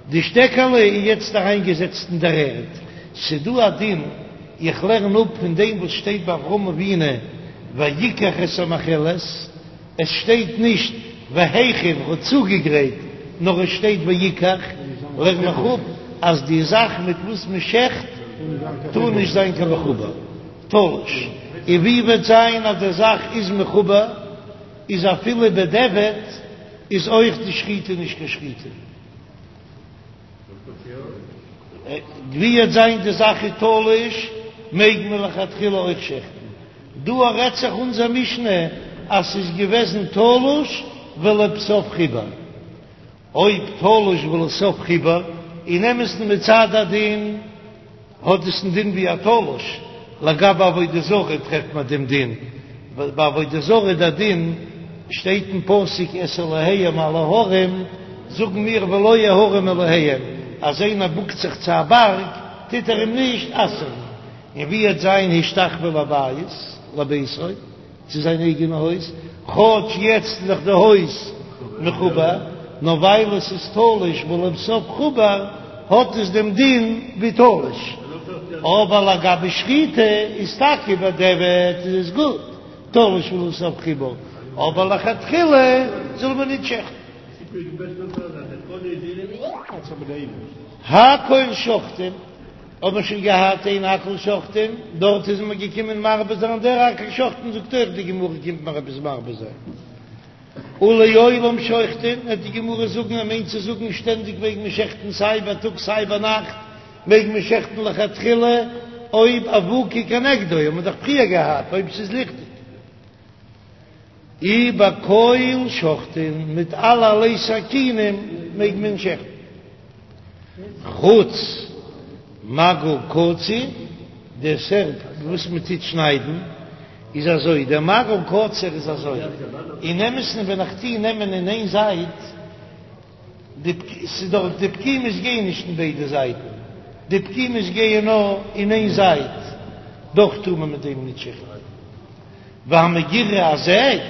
די שטעקעלע איז יעצט אריינגעזעצט אין דער ערד, ס'דא א דין, איך לערן אפ פון דעם וואס שטייט ביי אברהם אבינו ויקח את המאכלת, עס שטייט נישט והכין האט צוגעגרייט, נאר עס שטייט ויקח, לערן איך אפ אז די זאך מיט וואס מען שעכט טאר נישט זיין קיין מחובר, תלוש, און ווי וועט זיין אז די זאך איז מחובר, איז אפילו בדיעבד איז אויך די שחיטה נישט קיין שחיטה. ווי וועט זיין די זאך איז תלוש, מעג מען לכתחילה אויך שעכטן. דא רעדט זיך אונזער משנה אז ס'איז געוועזן תלוש ולבסוף חיבר. אויב תלוש ולבסוף חיבר, אין אמת'ן מצד הדין האט עס א דין ווי א תלוש, לגבי עבודה זרה טרעפט מען דעם דין, ביי עבודה זרה דער דין שטייט אין פסוק את אלהיהם על ההרים, זאגן מיר ולא ההרים אלהיהם, אז איינער בוקט זיך צו א בארג טוט ער אים נישט אסר'ן, און ווי וועט זיין השתחוה לבית לביתו, צו זיין אייגענע הויז, כאטש יעצט איז דאך די הויז מחובר, נאר ווייל עס איז תלוש ולבסוף חובר, האט עס דעם דין ווי תלוש. אבער לגבי שחיטה איז טאקע בדיעבד איז עס גוט, תלוש ולבסוף חיבור, אבער לכתחילה זאל מען נישט שעכטן. הכל שוחטין. האט מען שוין געהאט איין הכל שוחטין, דארט איז מען געקומען מרבה זיין, דער הכל שוחטין זאגט אויך די גמרא קומט מיר עפעס מרבה זיין, ולעולם שוחטין, וועט די גמרא זאגן ער מיינט צו זאגן שטענדיג מעג מען שעכטן סיי בייטאג סיי ביינאכט מעג מען שעכטן לכתחילה אויב אבוקה כנגדו האט מען דאך פריער געהאט אויב ס'איז ליכטיג. ובכל שוחטין, מיט אלערליי סכינים מעג מען שעכטן, חוץ מגל קציר, די סערפ וואס מען טוט שניידן איז אזוי, דער מגל קציר איז אזוי, אין אמת'ן ווען איך טוה נעמען אין איין זייט, די ס'איז דאך די פגימות גייען נישט אין ביידע זייטן, די פגימות גייען נאר אין איין זייט, דאך טאר מען מיט דעם נישט שעכטן. והמגירה א זעג,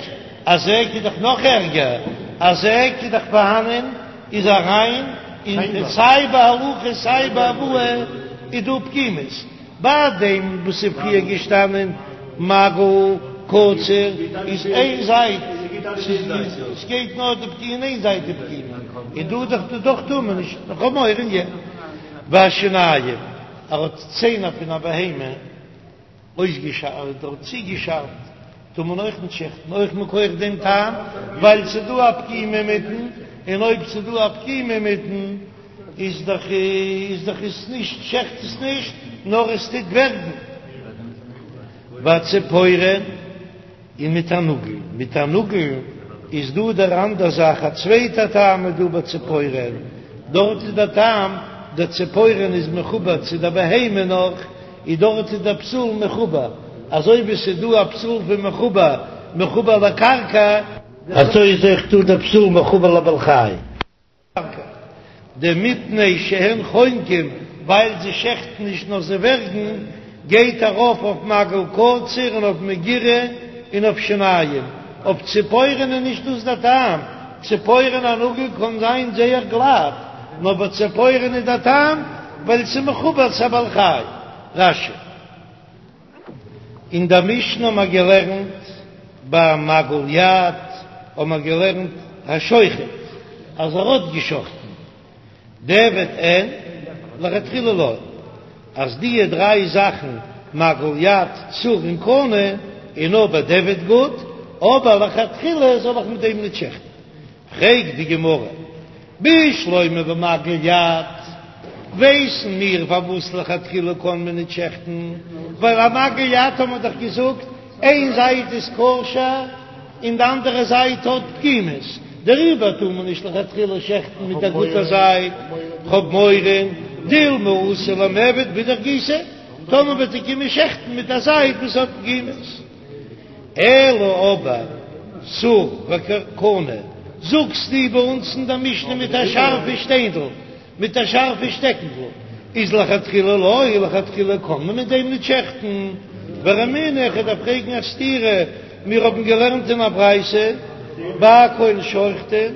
א זעג איז דאך נאך ערגער, א זעג איז דאך פארהאנען איז אריין אין סיי בהולכה סיי בהבאה איז דא פגימות, ביי דעם וואס איז פריער געשטאנען מגל קציר איז איין זייט, ס'גייט נאר די פגימה אין איין זייט די פגימה, און דא דאך דאך טאר מען נישט, איך האב מורא אין יענעם. והשיניים, ער האט ציינער פון א בהמה. אויסגעשארפט אדער צוגעשארפט טאר מען אויך נישט שעכטן, אויך מכח דעם טעם ווייל ס'איז דא א פגימה אינמיטן. און אויב ס'איז דא א פגימה אינמיטן איז דאך איז דאך עס נישט שעכט עס נישט נאר עס טוט ווערגן. והציפורן. און מיט א נאגל, מיט א נאגל איז דא דער אנדער זאך, א צווייטע טעם איז דא ביי ציפורן, דארט איז דער טעם, דער ציפורן איז מחובר צו דער בהמה נאך, איז דארט איז דער פסול מחובר, אזוי ווי ס'איז דא א פסול פון מחובר, מחובר לקרקע, אזוי איז אויך דא דער פסול מחובר לבעל חי. דמפני שהן חונקים, ווייל זיי שעכטן נישט נאר זיי ווערגן, גייט ארויף אויף מגל קציר און אויף מגירה און אויף שיניים, אויף ציפורן איז נישט דאס דער טעם, ציפורן א נאגל קען זיין זייער גלאט, נאר ביי ציפורן איז דער טעם ווייל ס'איז מחובר צו א בעל חי. רש"י. אין דער משנה האבן מיר געלערנט ביי מגל יד האבן מיר געלערנט השוחט אז ער האט געשחטן דיעבד אין לכתחילה לא, אז די דריי זאכן מגל יד צור און קנה איז נאר בדיעבד גוט, אבער לכתחילה זאל איך מיט דעם ניט שעכטן. פרעגט די גמרא, בשלמא במגל יד, ווייסן מיר פארוואס לכתחילה קען מען ניט שעכטן, ווייל א מגל יד האט מען דאך געזאגט, איין זייט איז כשר און די אנדערע זייט האט פגימות, דעריבער טאר מען נישט לכתחילה שעכטן מיט א גוטע זייט, כ'האב מורא דילמא אתי למיעבד באידך גיסא, טאמער וועט ער קומען שעכטן מיט א זייט וואס האט פגימות. אלא אבער צור וקנה, זאגסטו ביי אונז אין דער משנה מיט א שארפע שטיינדל, מיט א שארפע שטעקנדל, איז לכתחילה לא, לכתחילה קען מען מיט דעם ניט שעכטן. ורמינהו, איך דארף פרעגן א סתירה, מיר האבן געלערנט אין א ברייתא, בכל שוחטין,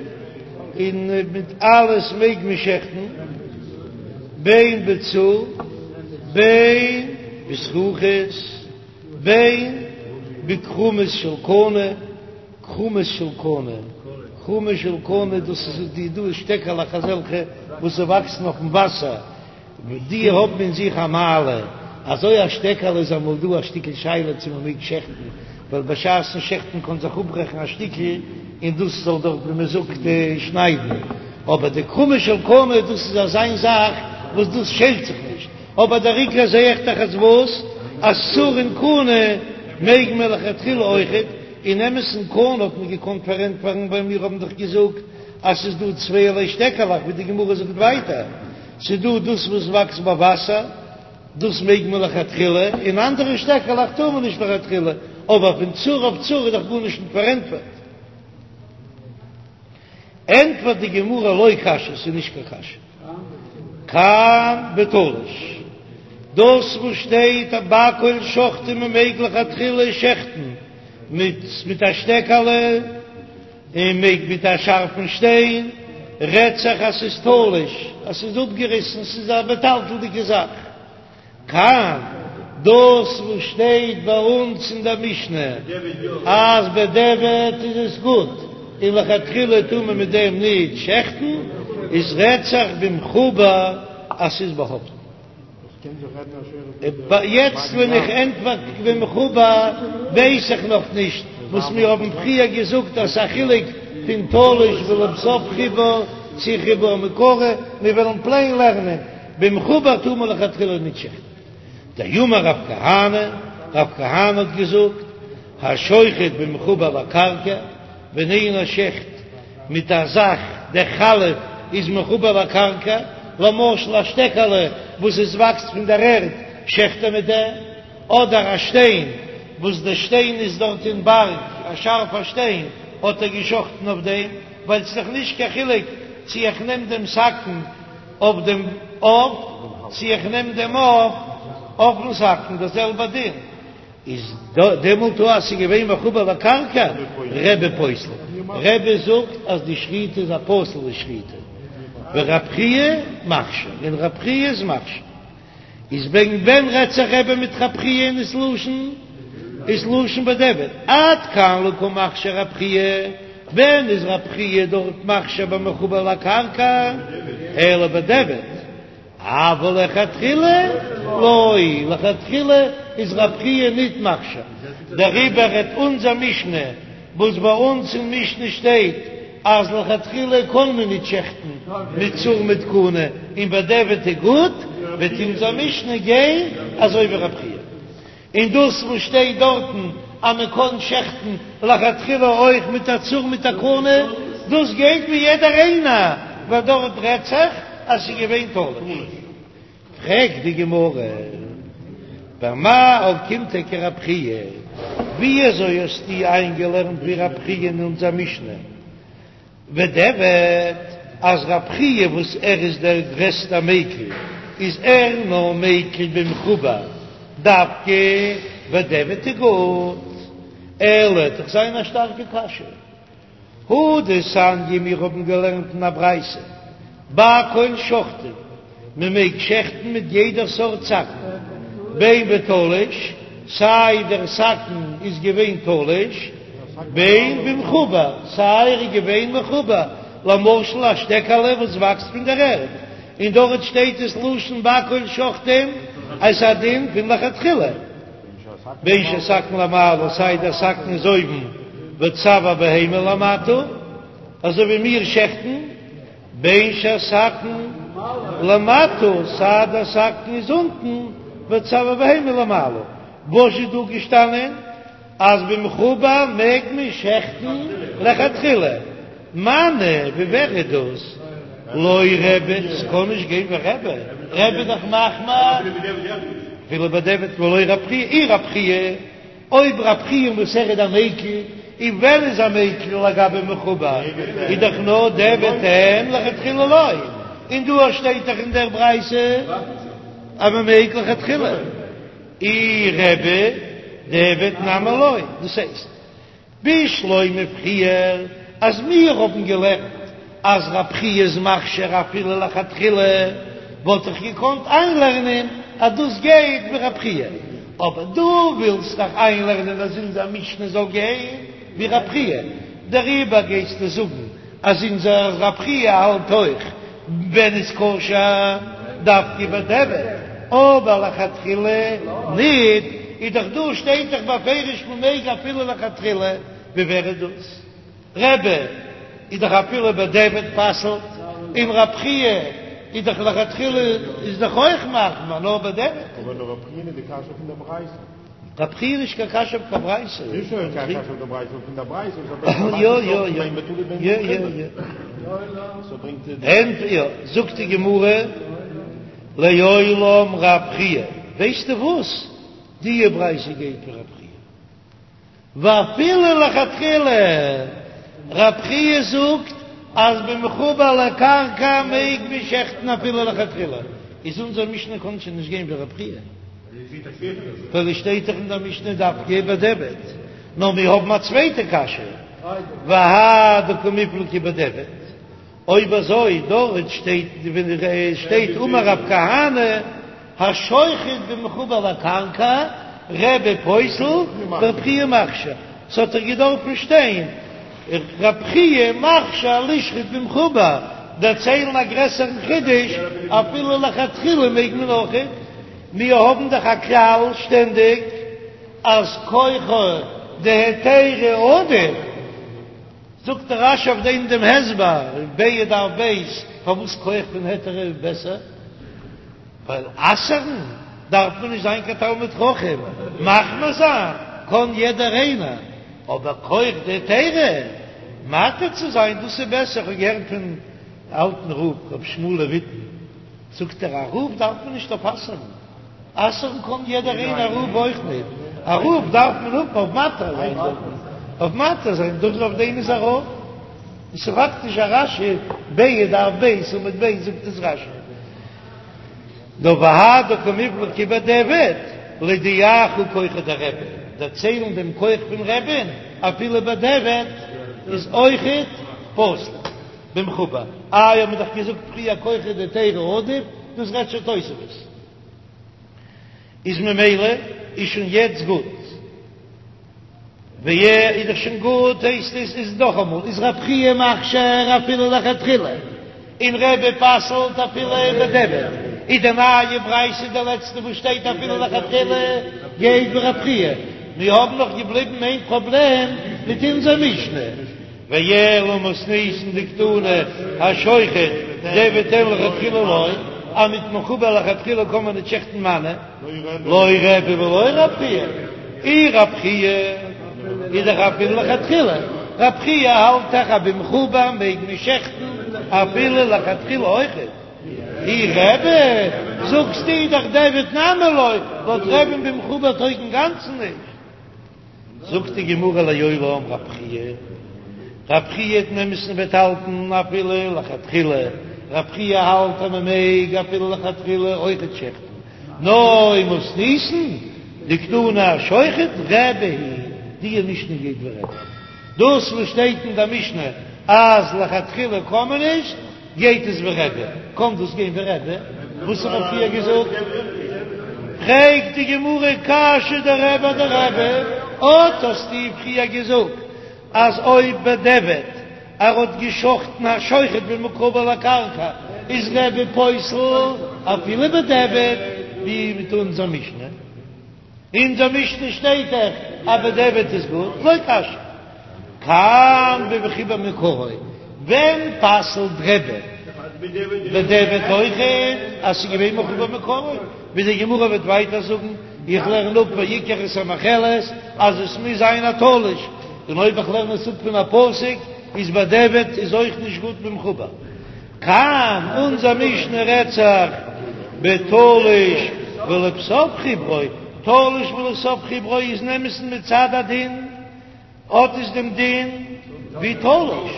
און מיט אלעס מעג מען שעכטן, בין בצור בין בזכוכית. בין בכרומית של קנה, כרומית של קנה, כרומית של קנה, דאס איז די דא שטעקעלעך אזעלכע וואס זיי וואקסן אויפן וואסער, די האבן אין זיך א מעלה, אזוי א שטעקעלע איז אמאל דא א שטיקל שאלה צו מען מעג שעכטן, ווייל בשעת'ן שעכטן קען זיך אפברעכן א שטיקל און דאס זאל דארט ווי מען זאגט שניידן, אבער די כרומית של קנה דאס איז אזיין זאך וואס דאס שעלט זיך נישט. אבער דער עיקר זעה איך דאך אז וואס? אז צור און קנה מעג מען לכתחילה אויכעט, אין אמת'ן קנה האט מען געקאנט פארענטפערן ווייל מיר האבן דאך געזאגט אז ס'איז דא צווייערליי שטעקעלעך ווי די גמרא זאגט ווייטער, ס'איז דא דאס וואס וואקסט ביי וואסער דאס מעג מען לכתחילה, און אנדערע שטעקעלעך טאר מען נישט לכתחילה, אבער פון צור אויף צור איז דאך גארנישט נישט פארענטפערט. ענטפערט די גמרא לא קשיא, ס'איז נישט קיין קשיא. כאן בתלוש, דאס וואס שטייט אז בכל שוחטין מען מעג לכתחילה שעכטן מיט מיט א שטעקעלע און מעג מיט א שארפן שטיין, רעדט זיך אז ס'איז תלוש, אז ס'איז אפגעריסן, ס'איז א מטלטל'דיגע זאך. כאן, דאס וואס שטייט ביי אונז אין דער משנה אז בדיעבד איז עס גוט און לכתחילה טאר מען מיט דעם ניט שעכטן, איז רעדט זיך במחובר אז ס'איז באהאפטן. יעצט ווען איך ענטפער במחובר ווייס איך נאך נישט וואס מיר האבן פריער געזאגט אז ס'איז א חילוק פון תלוש ולבסוף חיבור צו חיבור מעיקרא, מיר וועלן פלעין לערנען. במחובר טאר מען לכתחילה ניט שעכטן. דאמר רב כהנא, רב כהנא האט געזאגט, השוחט במחובר לקרקע, ווען איינער שעכט מיט א זאך, דער חלף איז מחובר לקרקע, למשל א שטעקעלע וואס עס וואקסט פון דער ערד, שעכט ער מיט דעם, אדער א שטיין וואס דער שטיין איז דארט אין בארג, א שארפער שטיין, האט ער געשאכטן אויף דעם, ווייל ס'איז דאך נישט קיין חילוק צי איך נעם דעם סכין אויף דעם עוף, צי איך נעם דעם עוף אויפן סכין, דער זעלבער דין איז דעמאלט אז ס'איז געווען מחובר לקרקע, רבי פוסל, רבי זאגט אז די שחיטה איז א פסול'ע שחיטה, ורב חייא מכשיר, און רב חייא איז מכשיר. איז וועגן ווען רעדט זיך רבי מיט רב חייא און ס'לשון איז לשון בדיעבד עד כאן לא קא מכשיר רב חייא, ווען איז רב חייא דארט מכשיר במחובר לקרקע אלא בדיעבד, אבל לכתחילה לא, לכתחילה איז רב חייא ניט מכשיר, דעריבער רעדט אונזער משנה וואס ביי אונז אין משנה שטייט. אז לכתחילה קען מען ניט שעכטן מיט צור מיט קנה און בדיעבד איז גוט, וועט אונזער משנה גיין אזוי ווי רב חייא. און דאס וואס שטייט דארטן אז מען קען שעכטן לכתחילה אויך מיט א צור מיט א קנה, דאס גייט ווי יעדער איינער, ווייל דארט רעדט זיך אז ס'איז געווען תלוש. פרעגט די גמרא, במאי אוקימתא כרב חייא, ווי אזוי האסטו איינגעלערנט ווי רב חייא אין אונזער משנה? בדיעבד אז רב חייא וואס ער איז דער גרעסטער מיקל איז ער נאר מיקל במחובר דווקא בדיעבד איז גוט, אלא וועט דאך זיין א שטארקע קשיא. הא דתניא מיר האבן געלערנט אין א ברייתא בכל שוחטין מען מעג שעכטן מיט יעדער סארט סכין, בין בתלוש, סיי דער סכין איז געווען תלוש, בין במחובר, סיי ער איז געווען מחובר, למשל א שטעקעלע וואס וואקסט פון דער ערד, און דארט שטייט עס לשון בכל שוחטין, אז ס'איז א דין פון לכתחילה, בין שהסכין למעלה, סיי דער סכין איז אויבן, וצואר בהמה למטה, אזוי ווי מיר שעכטן. בין שהסכין למטה, סיי דער סכין איז אונטן, וצואר בהמה למעלה. וואס איז דא געשטאנען? אז במחובר מעג מען שעכטן לכתחילה. מני, ווי ווער איז דאס? לא רבי, ס'קען נישט גיין ווי רבי, רבי איז דאך מחמיר אפילו בדיעבד ולא רב חייא, אי רב חייא. אויב רב חייא וואס ער איז א מיקל, און ווען איז ער מיקל לגבי מחובר, איז דאך נאר דיעבד אין לכתחילה לא, און דא שטייט דאך אין דער ברייתא אז מען מעג לכתחילה, אי רבי דיעבד נמי לא, דאס הייסט בשלמא פריער אז מיר האבן געלערנט אז רב חייא איז מכשיר אפילו לכתחילה, וואלט איך געקאנט איינלערנען אז דאס גייט ווי רב חייא, אבער דו ווילסט דאך איינלערנען אז אונזער משנה זאל גיין ווי רב חייא, דעריבער גייסטו זאגן אז אונזער רב חייא האלט אויך ווען איז כשר דווקא בדיעבד, אבער לכתחילה ניט, איז דאך דא שטייט דאך בפירוש מ'מעג אפילו לכתחילה, ווי ווער איז דאס? רבי איז דאך אפילו בדיעבד פסל'ט, און רב חייא איז דאך לכתחילה איז דאך אויך מחמיר נאר בדיעבד. אבער נאר רב חייא איז די קשיא פון דער ברייתא. רב חייא איז נישט קיין קשיא אויף קיין ברייתא. נישט נאר קיין קשיא אויף דער ברייתא, נאר פון דער ברייתא וואס האט יא יא יא. בין בתלוש בין יא יא במחובר. יא. סאו ברענגט ער די. ענט יא, זאגט די גמרא לעולם רב חייא, ווייסטו וואס? די ברייתא גייט ווי רב חייא. ואפילו לכתחילה, רב חייא זאגט אז במחובר לקרקע מעג מען שעכטן אפילו לכתחילה, איז אונזער משנה קען שוין נישט גיין ווי רב חייא, ווייל עס שטייט דאך אין דער משנה דווקא בדיעבד, נאר מיר האבן א צווייטע קשיא, והא דקמיפלגי בדיעבד, אויב אזוי דארט שטייט ווען עס שטייט אמר רב כהנא השוחט במחובר לקרקע רבי פוסל ורב חייא מכשיר, ס'האט דאך געדארפן שטיין רב חייא מכשיר לשחוט במחובר, דערציילן א גרעסערן חידוש אפילו לכתחילה מעג מען אויכעט, מיר האבן דאך א כלל שטענדיג אז כחא דהיתרא עדיף. זאגט דער רש"י אויף דעם דעם הסבר, ביעה דף ב', פארוואס כח פון היתר איז בעסער, ווייל אסר'ן דארף מען נישט זיין קיין תלמיד חכם, מחמיר זיין קען יעדער איינער, אבער כח דהיתרא מתיר צו זיין דאס איז בעסער, איך האב געהערט פון אלטן רב ר' שמואל לויטין, זאגט ער א רב דארף מען נישט אויף אסר'ן. אסר'ן קען יעדער איינער א רב אויך ניט, א רב דארף מען האבן אויף מתיר זיין דארף מען אויף מתיר זיין דאס אויף דעם איז א רב, עס איז פאקטיש א רש"י ביעה דף ב' עמוד ב' זאגט עס רש"י נאר והא דקמיפלגי בדיעבד להודיעך כחו דרבי דערציילן דעם כח פון רבי'ן אפילו בדיעבד איז אויכעט פסול במחובר איי האט מען דאך געזאגט פריער כחא דהיתרא עדיף דאס רעדט שוין תוספות. איז ממילא איז שוין יעצט גוט, ווי איז דאך שוין גוט הייסט עס איז נאכאמאל איז רב חייא מכשיר אפילו לכתחילה און רבי פסל'ט אפילו בדיעבד, איז די נייע ברייתא די לעצטע וואס שטייט אפילו לכתחילה גייט ווי רב חייא, מיר האבן נאך געבליבן איין פראבלעם מיט אונזער משנה. ואלא מתניתין דקתני השוחט דיעבד אין לכתחילה לא, אז מיט מחובר לכתחילה קען מען נישט שעכטן מני, לא רבי ולא רב חייא, אי רב חייא איז דאך אפילו לכתחילה, רב חייא האלט דאך אז במחובר מעג מען שעכטן אפילו לכתחילה אויכעט, אי רבי זאגסטו דאך דיעבד נמי לא, לויט רבי'ן במחובר טויג אינגאנצן נישט. זאגט די גמרא לעולם רב חייא, רב חייא אין אמת'ן וועט האלטן אפילו לכתחילה, רב חייא האלט אז מען מעג אפילו לכתחילה אויכעט שעכטן, נאר אין מתניתין דקתני השוחט רבי היא, די משנה גייט ווי רבי, דאס וואס שטייט אין די משנה אז לכתחילה קען מען נישט, גייט עס ווי רבי? קען דאס גיין ווי רבי? וואס האט מען פריער געזאגט? פרעגט די גמרא קשיא דרבי אדרבי, אט האסטו פריער געזאגט אז אויב בדיעבד ער האט געשחטן השוחט במחובר לקרקע איז רבי פוסל אפילו בדיעבד, ווי מיט אונזער משנה. אונזער משנה שטייט דאך אז בדיעבד איז גוט, לא קשיא. כאן במחובר מעיקרא, ווען פסל'ט רבי בדיעבד אויכעט אז ס'איז געווען מחובר מעיקרא, ווי די גמרא וועט ווייטער זאגן, איך לערן אפ ויקח את המאכלת אז עס מוז זיין א תלוש, און אויב איך לערן עס אפ פון א פסוק איז בדיעבד איז אויך נישט גוט במחובר. כאן, אונזער משנה רעדט זיך בתלוש ולבסוף חיברו, תלוש ולבסוף חיברו איז אין אמת'ן מצד הדין, האט עס דעם דין ווי תלוש,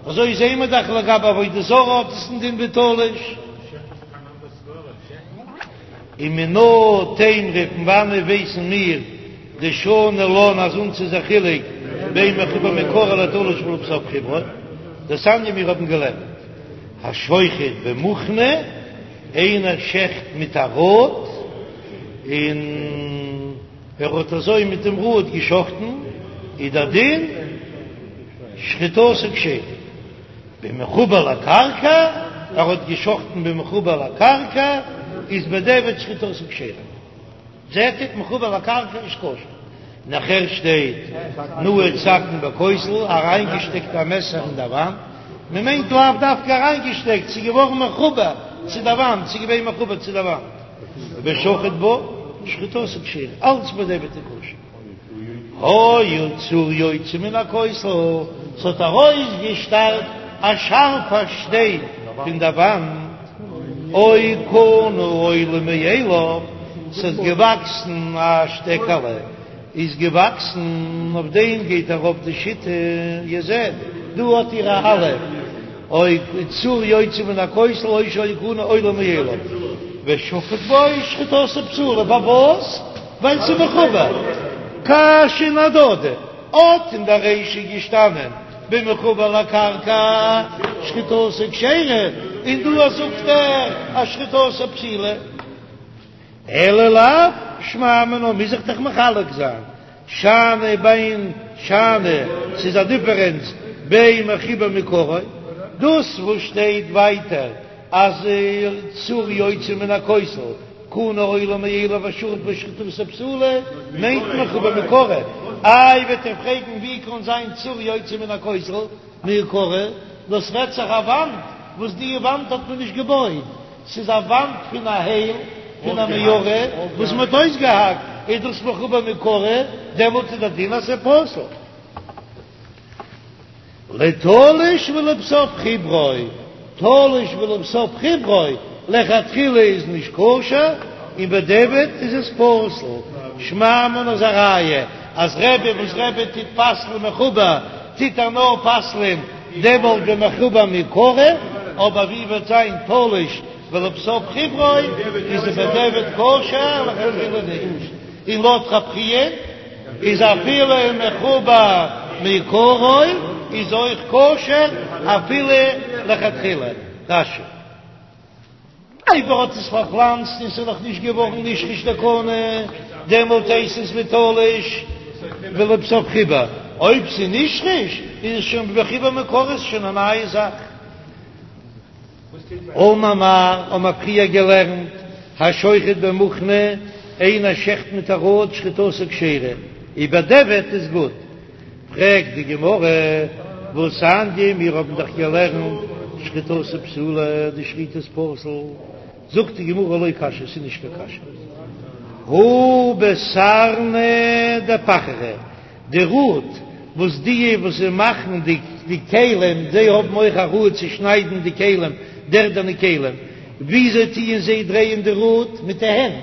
אזוי זעהן מיר דאך לגבי עבודה זרה האט עס דעם דין ווי תלוש. ומנא תימרא פון וואנעט ווייסן מיר דשני לן אז אונז איז א חילוק בין מחובר מעיקרא לתלוש ולבסוף חיברו, דתניא מיר האבן געלערנט השוחט במוכני, איינער שעכט מיט א ראד און ער האט אזוי מיט דעם ראד געשחטן, איז דער דין שחיטתו כשרה. במחובר לקרקע, ער האט געשחטן במחובר לקרקע, איז בדיעבד שחיטתו כשרה. זעט איר, מחובר לקרקע איז כשר. נאכער שטייט נעץ סכין בכותל, אריינגעשטעקט א מעסער אין דער וואנט, מען מיינט לאו דווקא אריינגעשטעקט, ס'איז געווארן מחובר צו דער וואנט, ס'איז געווען מחובר צו דער וואנט, ושחט בה, שחיטתו כשרה, אלץ בדיעבד איז כשר. היה צור יוצא מן הכותל, ס'האט ארויסגעשטארט א שארפע שטיין פון דער וואנט, או קנה עולה מאליו, ס'איז געוואקסן א שטעקעלע, איז געוואקסן, אויף דעם גייט ארויף די שיטה, איר זעט, דא האט איר א אלף, או צור יוצא מן הכותל או שהיה קנה עולה מאליו, ושחט בו שחיטתו פסולה, פארוואס? ווייל ס'איז מחובר. קשיין אהדדי, אט אין דער רישא געשטאנען במחובר לקרקע שחיטתו כשרה, און דא זאגט ער אז שחיטתו פסולה. אלא לאו שמע מינה מוז איך דאך מחלק זיין, שאני בין שאני, ס'איז א דיפערענץ בין מחובר מעיקרא, דאס וואס שטייט ווייטער אז צור יוצא מן הכותל קנה עולה מאליו ושחט בו שחיטתו פסולה מיינט מחובר מעיקרא, איי וועט איר פרעגן ווי קען זיין צור יוצא מן הכותל מעיקרא, דאס רעדט זיך א וואנט וואס די וואנט האט מען נישט געבויט, ס'איז א וואנט פון א הייל פון א מערה וואס מען האט אויסגעהאקט, איז דאס מחובר מעיקרא, דעמאלט איז דער דין אז ס'איז פסול. לתלוש ולבסוף חיברו, תלוש ולבסוף חיברו, לכתחילה איז נישט כשר און בדיעבד איז עס פסול, שמע מינה איז א ראיה אז רבי וואס רבי טוט פסל'ן מחובר טוט ער נאר פסל'ען דעמאלט ווען מחובר מעיקרא, אבער ווי וועט זיין תלוש ולבסוף חיברו איז עס בדיעבד כשר לכתחילה נישט, און לויט רב חייא. איז אפילו מחובר מעיקרא איז אויך כשר אפילו לכתחילה. רש"י. אויב ער האט עס פארפלאנצט און ס'איז נאך נישט געווארן נשרש דער קנה, דעמאלט הייסט עס ווי תלוש ולבסוף חיבר, אויב ס'איז נשרש איז עס שוין מחובר מעיקרא, איז שוין א נייע זאך. אמר מר, האבן מיר פריער געלערנט, השוחט במוכני, איינער שעכט מיט א ראד שחיטתו כשרה, און בדיעבד איז גוט. פרעגט די גמרא, והתניא, מיר האבן דאך געלערנט שחיטתו פסולה, די שחיטה איז פסול, זאגט די גמרא לא קשיא, ס'איז נישט קיין קשיא, הא בסרני דפחרא, די ראד וואס די וואס זיי מאכן די די כלים, זיי האבן אויך א ראד צו שניידן די כלים, די ערדענע כלים, וויאזוי טוען זיי דרייען די ראד? מיט די הענט,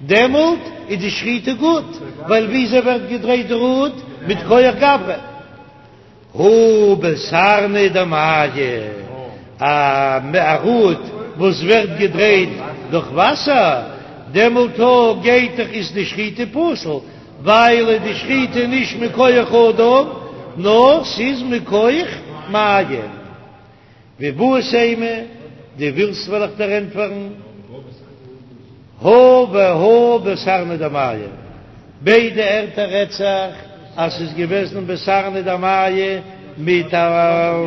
דעמאלט איז די שחיטה גוט, ווייל וויאזוי ווערט געדרייט די ראד? מיט כח גברא. הא בסרני דמיא, א ראד וואס ווערט געדרייט דורך וואסער, דעמאלט גייט דאך איז די שחיטה פסול, ווייל איז די שחיטה נישט מכח אדם, נאר ס'איז מכח מים. ואיבעית אימא, דו ווילסט וועל איך דיר ענטפערן, הא והא בסרני דמיא, ביידע ערטער רעדט זיך אז ס'איז געוועזן בסרני דמיא מיט א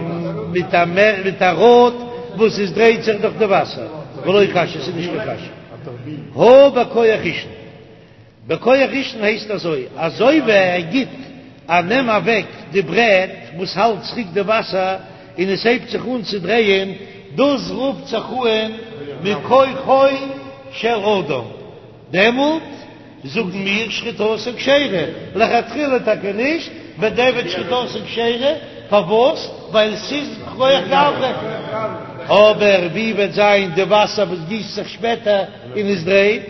מיט א מיט א ראד וואס עס דרייט זיך דורך די וואסער, ולא קשיא, ס'איז נישט קיין קשיא, הא בכח ראשון. בכח ראשון הייסט אזוי, אזוי ווי ער גיט א נעם אוועק די ברעט וואס האלט צוריק די וואסער און עס הייבט זיך אן צו דרייען, דאס רופט זיך אן מכוחו של אדם, דעמאלט זאגן מיר שחיטתו כשרה, לכתחילה טאקע נישט, בדיעבד שחיטתו כשרה, פארוואס? ווייל ס'איז כח גברא, אבער ווי וועט זיין די וואסער וואס גיסט זיך שפעטער און עס דרייט?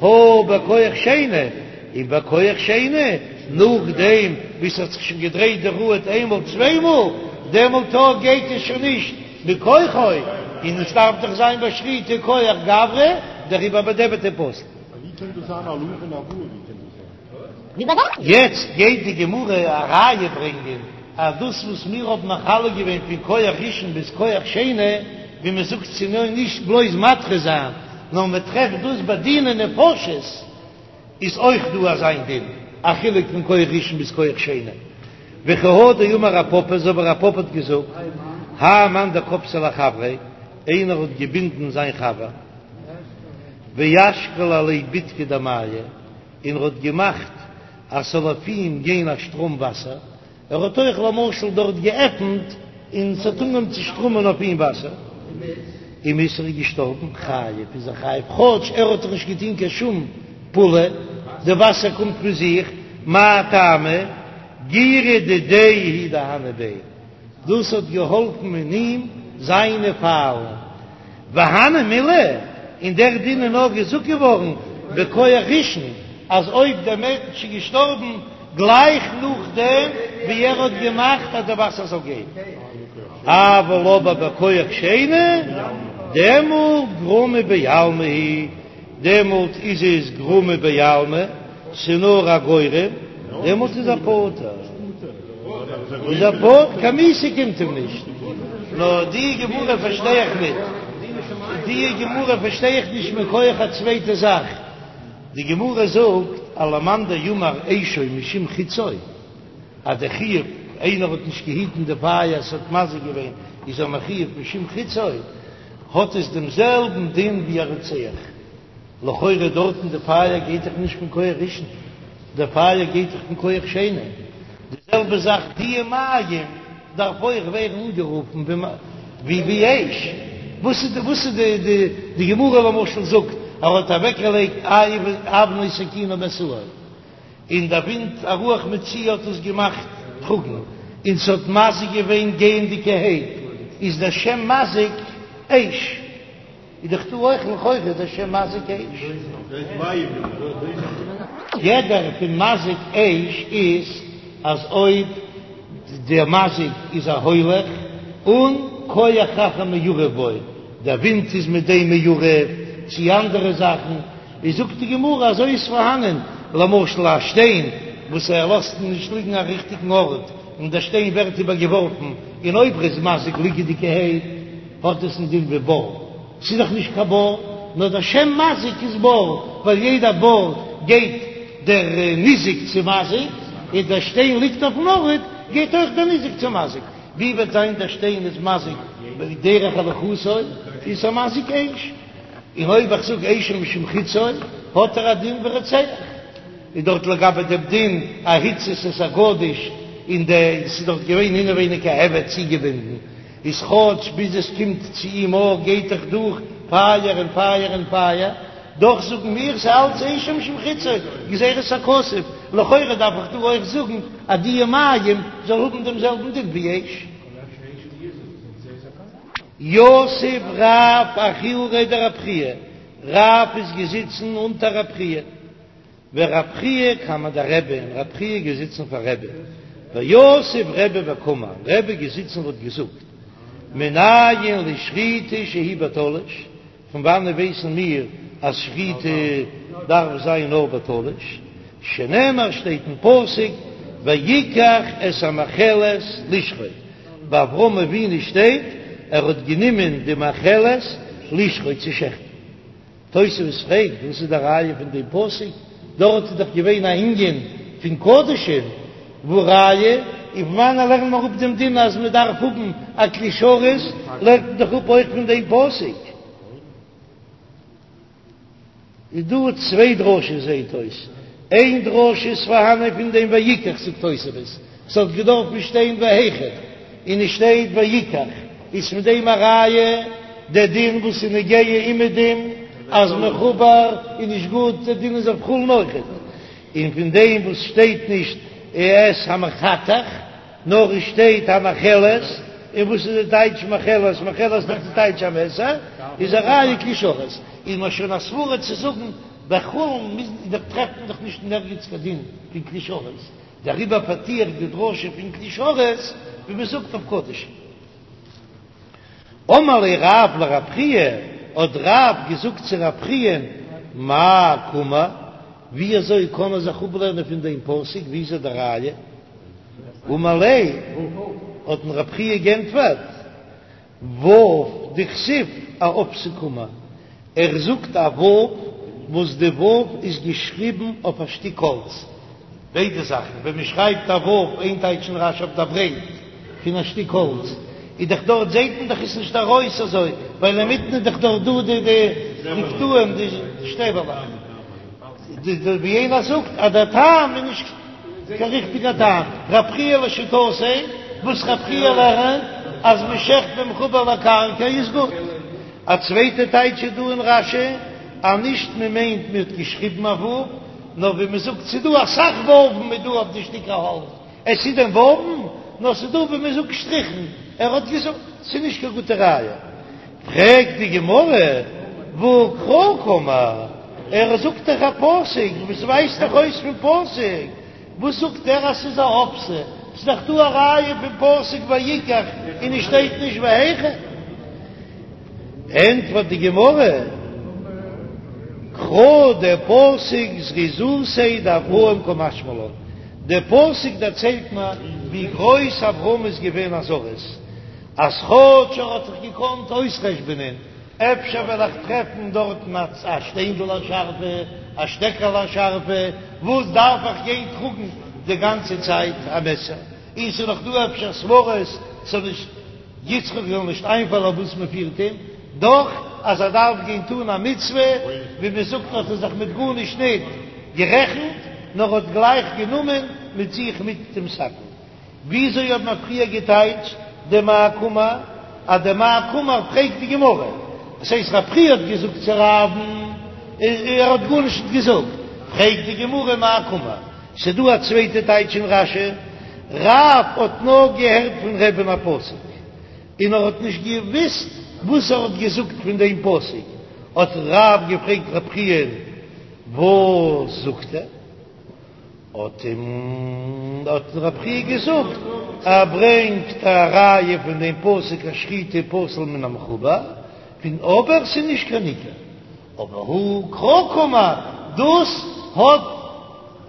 הא בכח שני, און בכח שני, נאכדעם ווי ס'האט זיך שוין געדרייט די ראד איינמאל צוויי מאל, דעמאלט אויך גייט עס שוין נישט מכוחו, און עס דארף דאך זיין ביי שחיטה כח גברא, דעריבער בדיעבד איז פסול. ווי קען דאס זיין א לולב און א וואל? ווי קען דאס זיין? יעצט גייט די גמרא א ראיה ברענגען אז דאס וואס מיר האבן מחלק געווען פון כח ראשון ביז כח שני, ווי מען זאגט צו נאר נישט בלויז מדחה זיין, נאר מען טרעפט דאס ביי דיני נפשות איז אויך דא אזא דין, א חילוק פון כח ראשון ביז כח שני. וכי הא דאמר רב פפא, אזוי ווי רב פפא האט געזאגט, האי מאן דכפתיה לחבריה, איינער האט געבינדן זיין חבר, ואשקל עליה בדקא דמיא, און ער האט געמאכט אז ס'זאל אויף אים גיין א שטראם וואסער, ער האט אויך למשל דארט געעפנט און ס'האט אנגעהויבן צו שטראמען אויף אים וואסער, ומית, ער איז געשטארבן, חייב איז ער חייב, כאטש ער האט דאך נישט געטון קיין שום פעולה, די וואסער קומט פון זיך, מאי טעמא, גירא דידיה הוא דהני ביה, דאס האט געהאלפן אין אים זיינע פיילן. והני מילי, און דער דין איז נאר געזאגט געווארן בכח ראשון, אז אויב דער מענטש איז געשטארבן גלייך נאכדעם ווי ער האט געמאכט אז די וואסער זאל גיין, אבל אבער בכח שני, דעמאלט גרמא בעלמא הוא, דעמאלט איז עס גרמא בעלמא, ס'נאר א גורם, דעמאלט איז ער פטור. איז ער פטור, קיין מיתה קומט אים נישט. נאר די גמרא פארשטיי איך ניט. די גמרא פארשטיי איך נישט מכח א צווייטע זאך. די גמרא זאגט אז למאן דאמר אשו משום חציו, אז דער חיוב, איינער האט נישט געהיטן די פייער, ס'האט מזיק געווען, איז ער מחויב משום חציו, האט עס דעם זעלבן דין ווי א רוצח. לכאורה דארטן די פייער גייט דאך נישט פון כח ראשון, די פייער גייט דאך פון כח שני, די זעלבע זאך די מים דארף אויך ווערן אנגערופן ווי ווי אש, וואס איז די וואס איז די די די גמרא למשל זאגט ער האט אוועק געלייגט אבנו סכינו משאו, און דער ווינט א רוח מצויה האט עס געמאכט טראגן, און ס'האט מזיק געווען גייענדיגערהייט, איז דער שם מזיק אש. איז דאך דא אויך לכאורה דער שם מזיק אש. גדר פון מזיק אש איז אז אויב דער מזיק איז א הולך און כח אחר מעורב בו, דער ווינט איז מיט דעם מעורב, צי אנדערע זאכן, איז זאגט די גמרא אזוי איז פארהאנען למשל א שטיין וואס ער לאזט נישט ליגן א ריכטיגן ארט און דער שטיין ווערט איבער געווארפן און אויב ער איז מזיק ליגעדיגערהייט האט עס א דין ווי בור, ס'איז דאך נישט קיין בור, נאר דער שם מזיק איז בור, ווייל יעדע בור גייט דער ניזק צו מזיק, און דער שטיין ליגט אויפן ארט גייט אויך דער ניזק צו מזיק, ווי וועט זיין דער שטיין איז מזיק בדרך הליכתו, איז א מזיק אש, און אויב איך זאג אשו משום חציו האט ער א דין ווי רוצח, איז דארט לגבי דעם דין א הצית את הגדיש. און די ס'איז דארט געווען אינעווייניג א עבד צוגעבינדן, איז כאטש ביז עס קומט צו אים אויך גייט דאך דורך פייער און פייער און פייער, דאך זאגן מיר ס'איז אלץ אשו משום חציו, גזירת הכתוב, לכאורה דארף איך דא אויך זאגן אז די מים זאל האבן דעם זעלבן דין ווי אש. יתיב רב אחוריה דרב חייא, רב איז געזיצן אונטער רב חייא, ורב חייא קמיה דרבי, און רב חייא געזיצן פאר רבי, ויתיב רבי וקאמר, רבי געזיצן און האט געזאגט, מנין לשחיטה שהיא בתלוש, פון וואנען ווייסן מיר אז שחיטה דארף זיין נאר בתלוש, שנאמר שטייט אין פסוק ויקח את המאכלת לשחוט, ביי אברהם אבינו שטייט ער האט גענומען די מאכלת לשחוט צו שעכטן. תוספות פרעגט וואס איז די ראיה פון דעם פסוק, דארט איז דאך געווען א ענין פון קדשים, והא ראיה, און פון וואנען לערנט מען אפ דעם דין אז מען דארף האבן א כלי שרת, לערנט מען דאך אפ אויך פון דעם פסוק. איז דא צוויי דרשות זעהט אויס, איין דרשה איז פארהאנען פון דעם ויקח זאגט תוספות, ס'האט געדארפן שטיין והיכן, און עס שטייט ויקח, איז פון דעם א ראיה דער דין וואס איז נוגע אומעדום אז מחובר איז נישט גוט, דער דין איז אויף חולין אויכעט, און פון דעם וואס שטייט נישט את המחתך נאר עס שטייט המאכלת, און וואס איז די טייטש מאכלת? מאכלת איז דאך די טייטש א מעסער, איז א ראיה כלי שרת, איז מען שוין א סברא צו זאגן ביי חולין מוז דאך טרעפט מען דאך נישט אין ערגעץ קיין דין פון כלי שרת, דעריבער פארטו איך די דרשה פון כלי שרת ווי מען זאגט אויף קדשים. אמר ליה רב לרב חייא, האט רב געזאגט צו רב חייא, מאי קאמר, ווי אזוי קען מען זיך אפלערנען פון דעם פסוק, ווי איז די ראיה? אמר ליה, האט אים רב חייא גענטפערט, ו' דכתיב אאפתא קאמר, ער זאגט א ו' וואס די ו' איז געשריבן אויף א שטיק האלץ, ביידע זאכן, ווען מען שרייבט א ו' איין טייטש אין רש"י אויף דער ברייט פון א שטיק האלץ, איז דאך דארט זעט מען דאך עס נישט ארויס אזוי, ווייל אינמיטן איז דאך דארט דא די די קטעים די שטעבעלעך. ווי איינער זאגט אז דער טעם איז נישט קיין ריכטיגער טעם, רב חייא לשיטתו, וואס רב חייא לערנט אז מען שעכט במחובר לקרקע איז גוט. א צווייטע טייטש איז דא אין רש"י אז נישט מען מיינט מען האט געשריבן א ו', נאר ווי מען זאגט ס'איז דא אסאך וואוון איז דא אויף די שטיקער האלץ, עס איז דען וואוון? נאר ס'איז דא ווי מען זאגט שטריכן, ער האט געזאגט ס'איז נישט קיין גוטע ראיה. פרעגט די גמרא, והא קרא קאמר, ער זאגט דאך א פסוק וואס ווייזט דאך אויס פון פסוק, וואס זאגט ער אז ס'איז א אפסה? ס'איז דאך דא א ראיה פון פסוק ויקח און עס שטייט נישט והיכן. ענטפערט די גמרא, קרא דער פסוק זריזותיה דאברהם קא משמע לן, דער פסוק דערציילט מיר ווי גרויס אברהם איז געווען א זריז, אז כאטש ער האט זיך געקאנט אויסחשבונען, אפשר וועל איך טרעפן דארטן א שטיינדל א שארפע, א שטעקעלע א שארפע, וואס דארף איך גיין טראגן די גאנצע צייט א מעסער, און ס'איז נאך דא אפשר סברות ס'זאל נישט יצחק זאל נישט איינפאלן אויף וואס מען פירט אים, דאך אז ער דארף גיין טון א מצוה, ווי מען זאגט האט ער זיך מיט גארנישט ניט גערעכנט, נאר האט גלייך גענומען מיט זיך מיט דעם סכין. וויאזוי האט מען פריער געטייטשט די מאי קאמר? אז די מאי קאמר פרעגט די גמרא, דאס הייסט רב חייא האט געזאגט צו רב'ן, ער האט גארנישט נישט געזאגט, פרעגט די גמרא מאי קאמר? ס'דא א צווייטע טייטש אין רש"י, רב האט נאר געהערט פון רבי'ן א פסוק, און ער האט נישט געוויסט וואס ער האט געזאגט פון דעם פסוק, האט רב געפרעגט רב חייא וואס זאגט ער? האט אים האט רב חייא געזאגט, ער ברענגט א ראיה פון דעם פסוק אז שחיטה פסול מן המחובר, פון אבער ס'איז נישט קיין עיקר, אבער הא קרא קאמר, דאס האט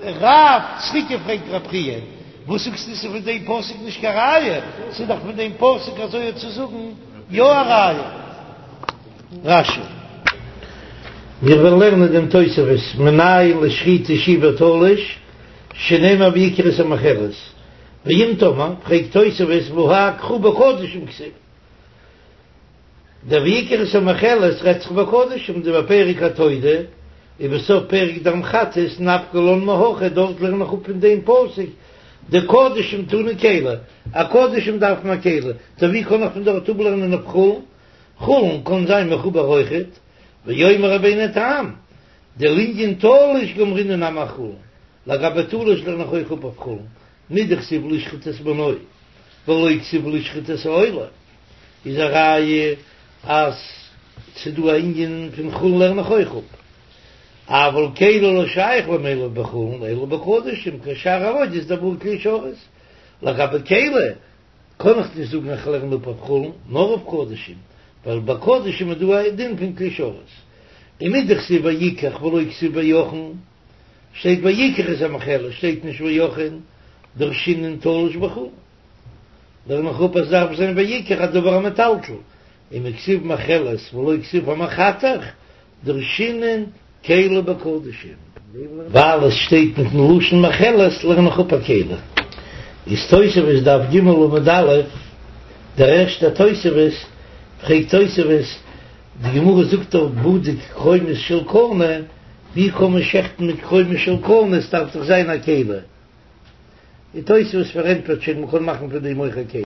רב צוריק געפרעגט רב חייא, וואס זאגסטו ס'איז פון דעם פסוק נישט קיין ראיה, ס'איז דאך פון דעם פסוק אזוי צו זאגן יא א ראיה. רש"י. מיר וועלן לערנען דעם תוספות מנין לשחיטה שהיא בתלוש, שנאמר ויקח את המאכלת, ואם תאמר, פרעגט תוספות והא קרא בקדשים כתיב, דער ויקח את המאכלת רעדט זיך בקדשים דבפרק התודה ובסוף פרק דם חטאת נפקא לן מהכא דארט לערן איך אפ פון דעם פסוק. דקדשים תנא כלי, א קדשים דארף מען א כלי, טא ווי קען איך פון דארט אפלערנען אויף חולין? חולין קען זיין מחובר אויכעט, ואומר רבינו תם, דלענין תלוש גמרינן נמי אחולין, לגבי תלוש לערן איך אויך אפ אויף חולין, מדכתיב לשחוט את בנו ולא כתיב לשחוט את העולה, איז א ראיה אז ס'דא א ענין פון חולין לערן איך אויך אפ, אבל כלי לא שייך למילף בחולין אלא בקדשים כשאר עבודות דבעי כלי שרת, לגבי כלי קען איך נישט זאגן איך לערן אפ אויף חולין נאר אויף קדשים, ווייל ביי קדשים איז דא א דין פון כלי שרת, ומדכתיב ויקח ולא כתיב ויחן, שטייט ויקח את המאכלת שטייט נישט ויחן, דרשינן תלוש בחולין, לערן איך אפ אז דארף זיין ויקח א דבר המטלטל, ומכתיב מאכלת ולא כתיב המחתך, דרשינן כלי בקדשים. ווייל עס שטייט מיטן לשון מאכלת לערן איך אפ א כלי. איז תוספות דף ג עמוד א', דער ערשטער תוספות, פרעגט תוספות, די גמרא זאגט דאך בדוק קרומות של קנה, ווי קען מען שעכטן מיט קרומות של קנה, עס דארף דאך זיין א כלי. די תוספות פארענטפערט שוין מען קען מאכן פון דעם אויך א כלי.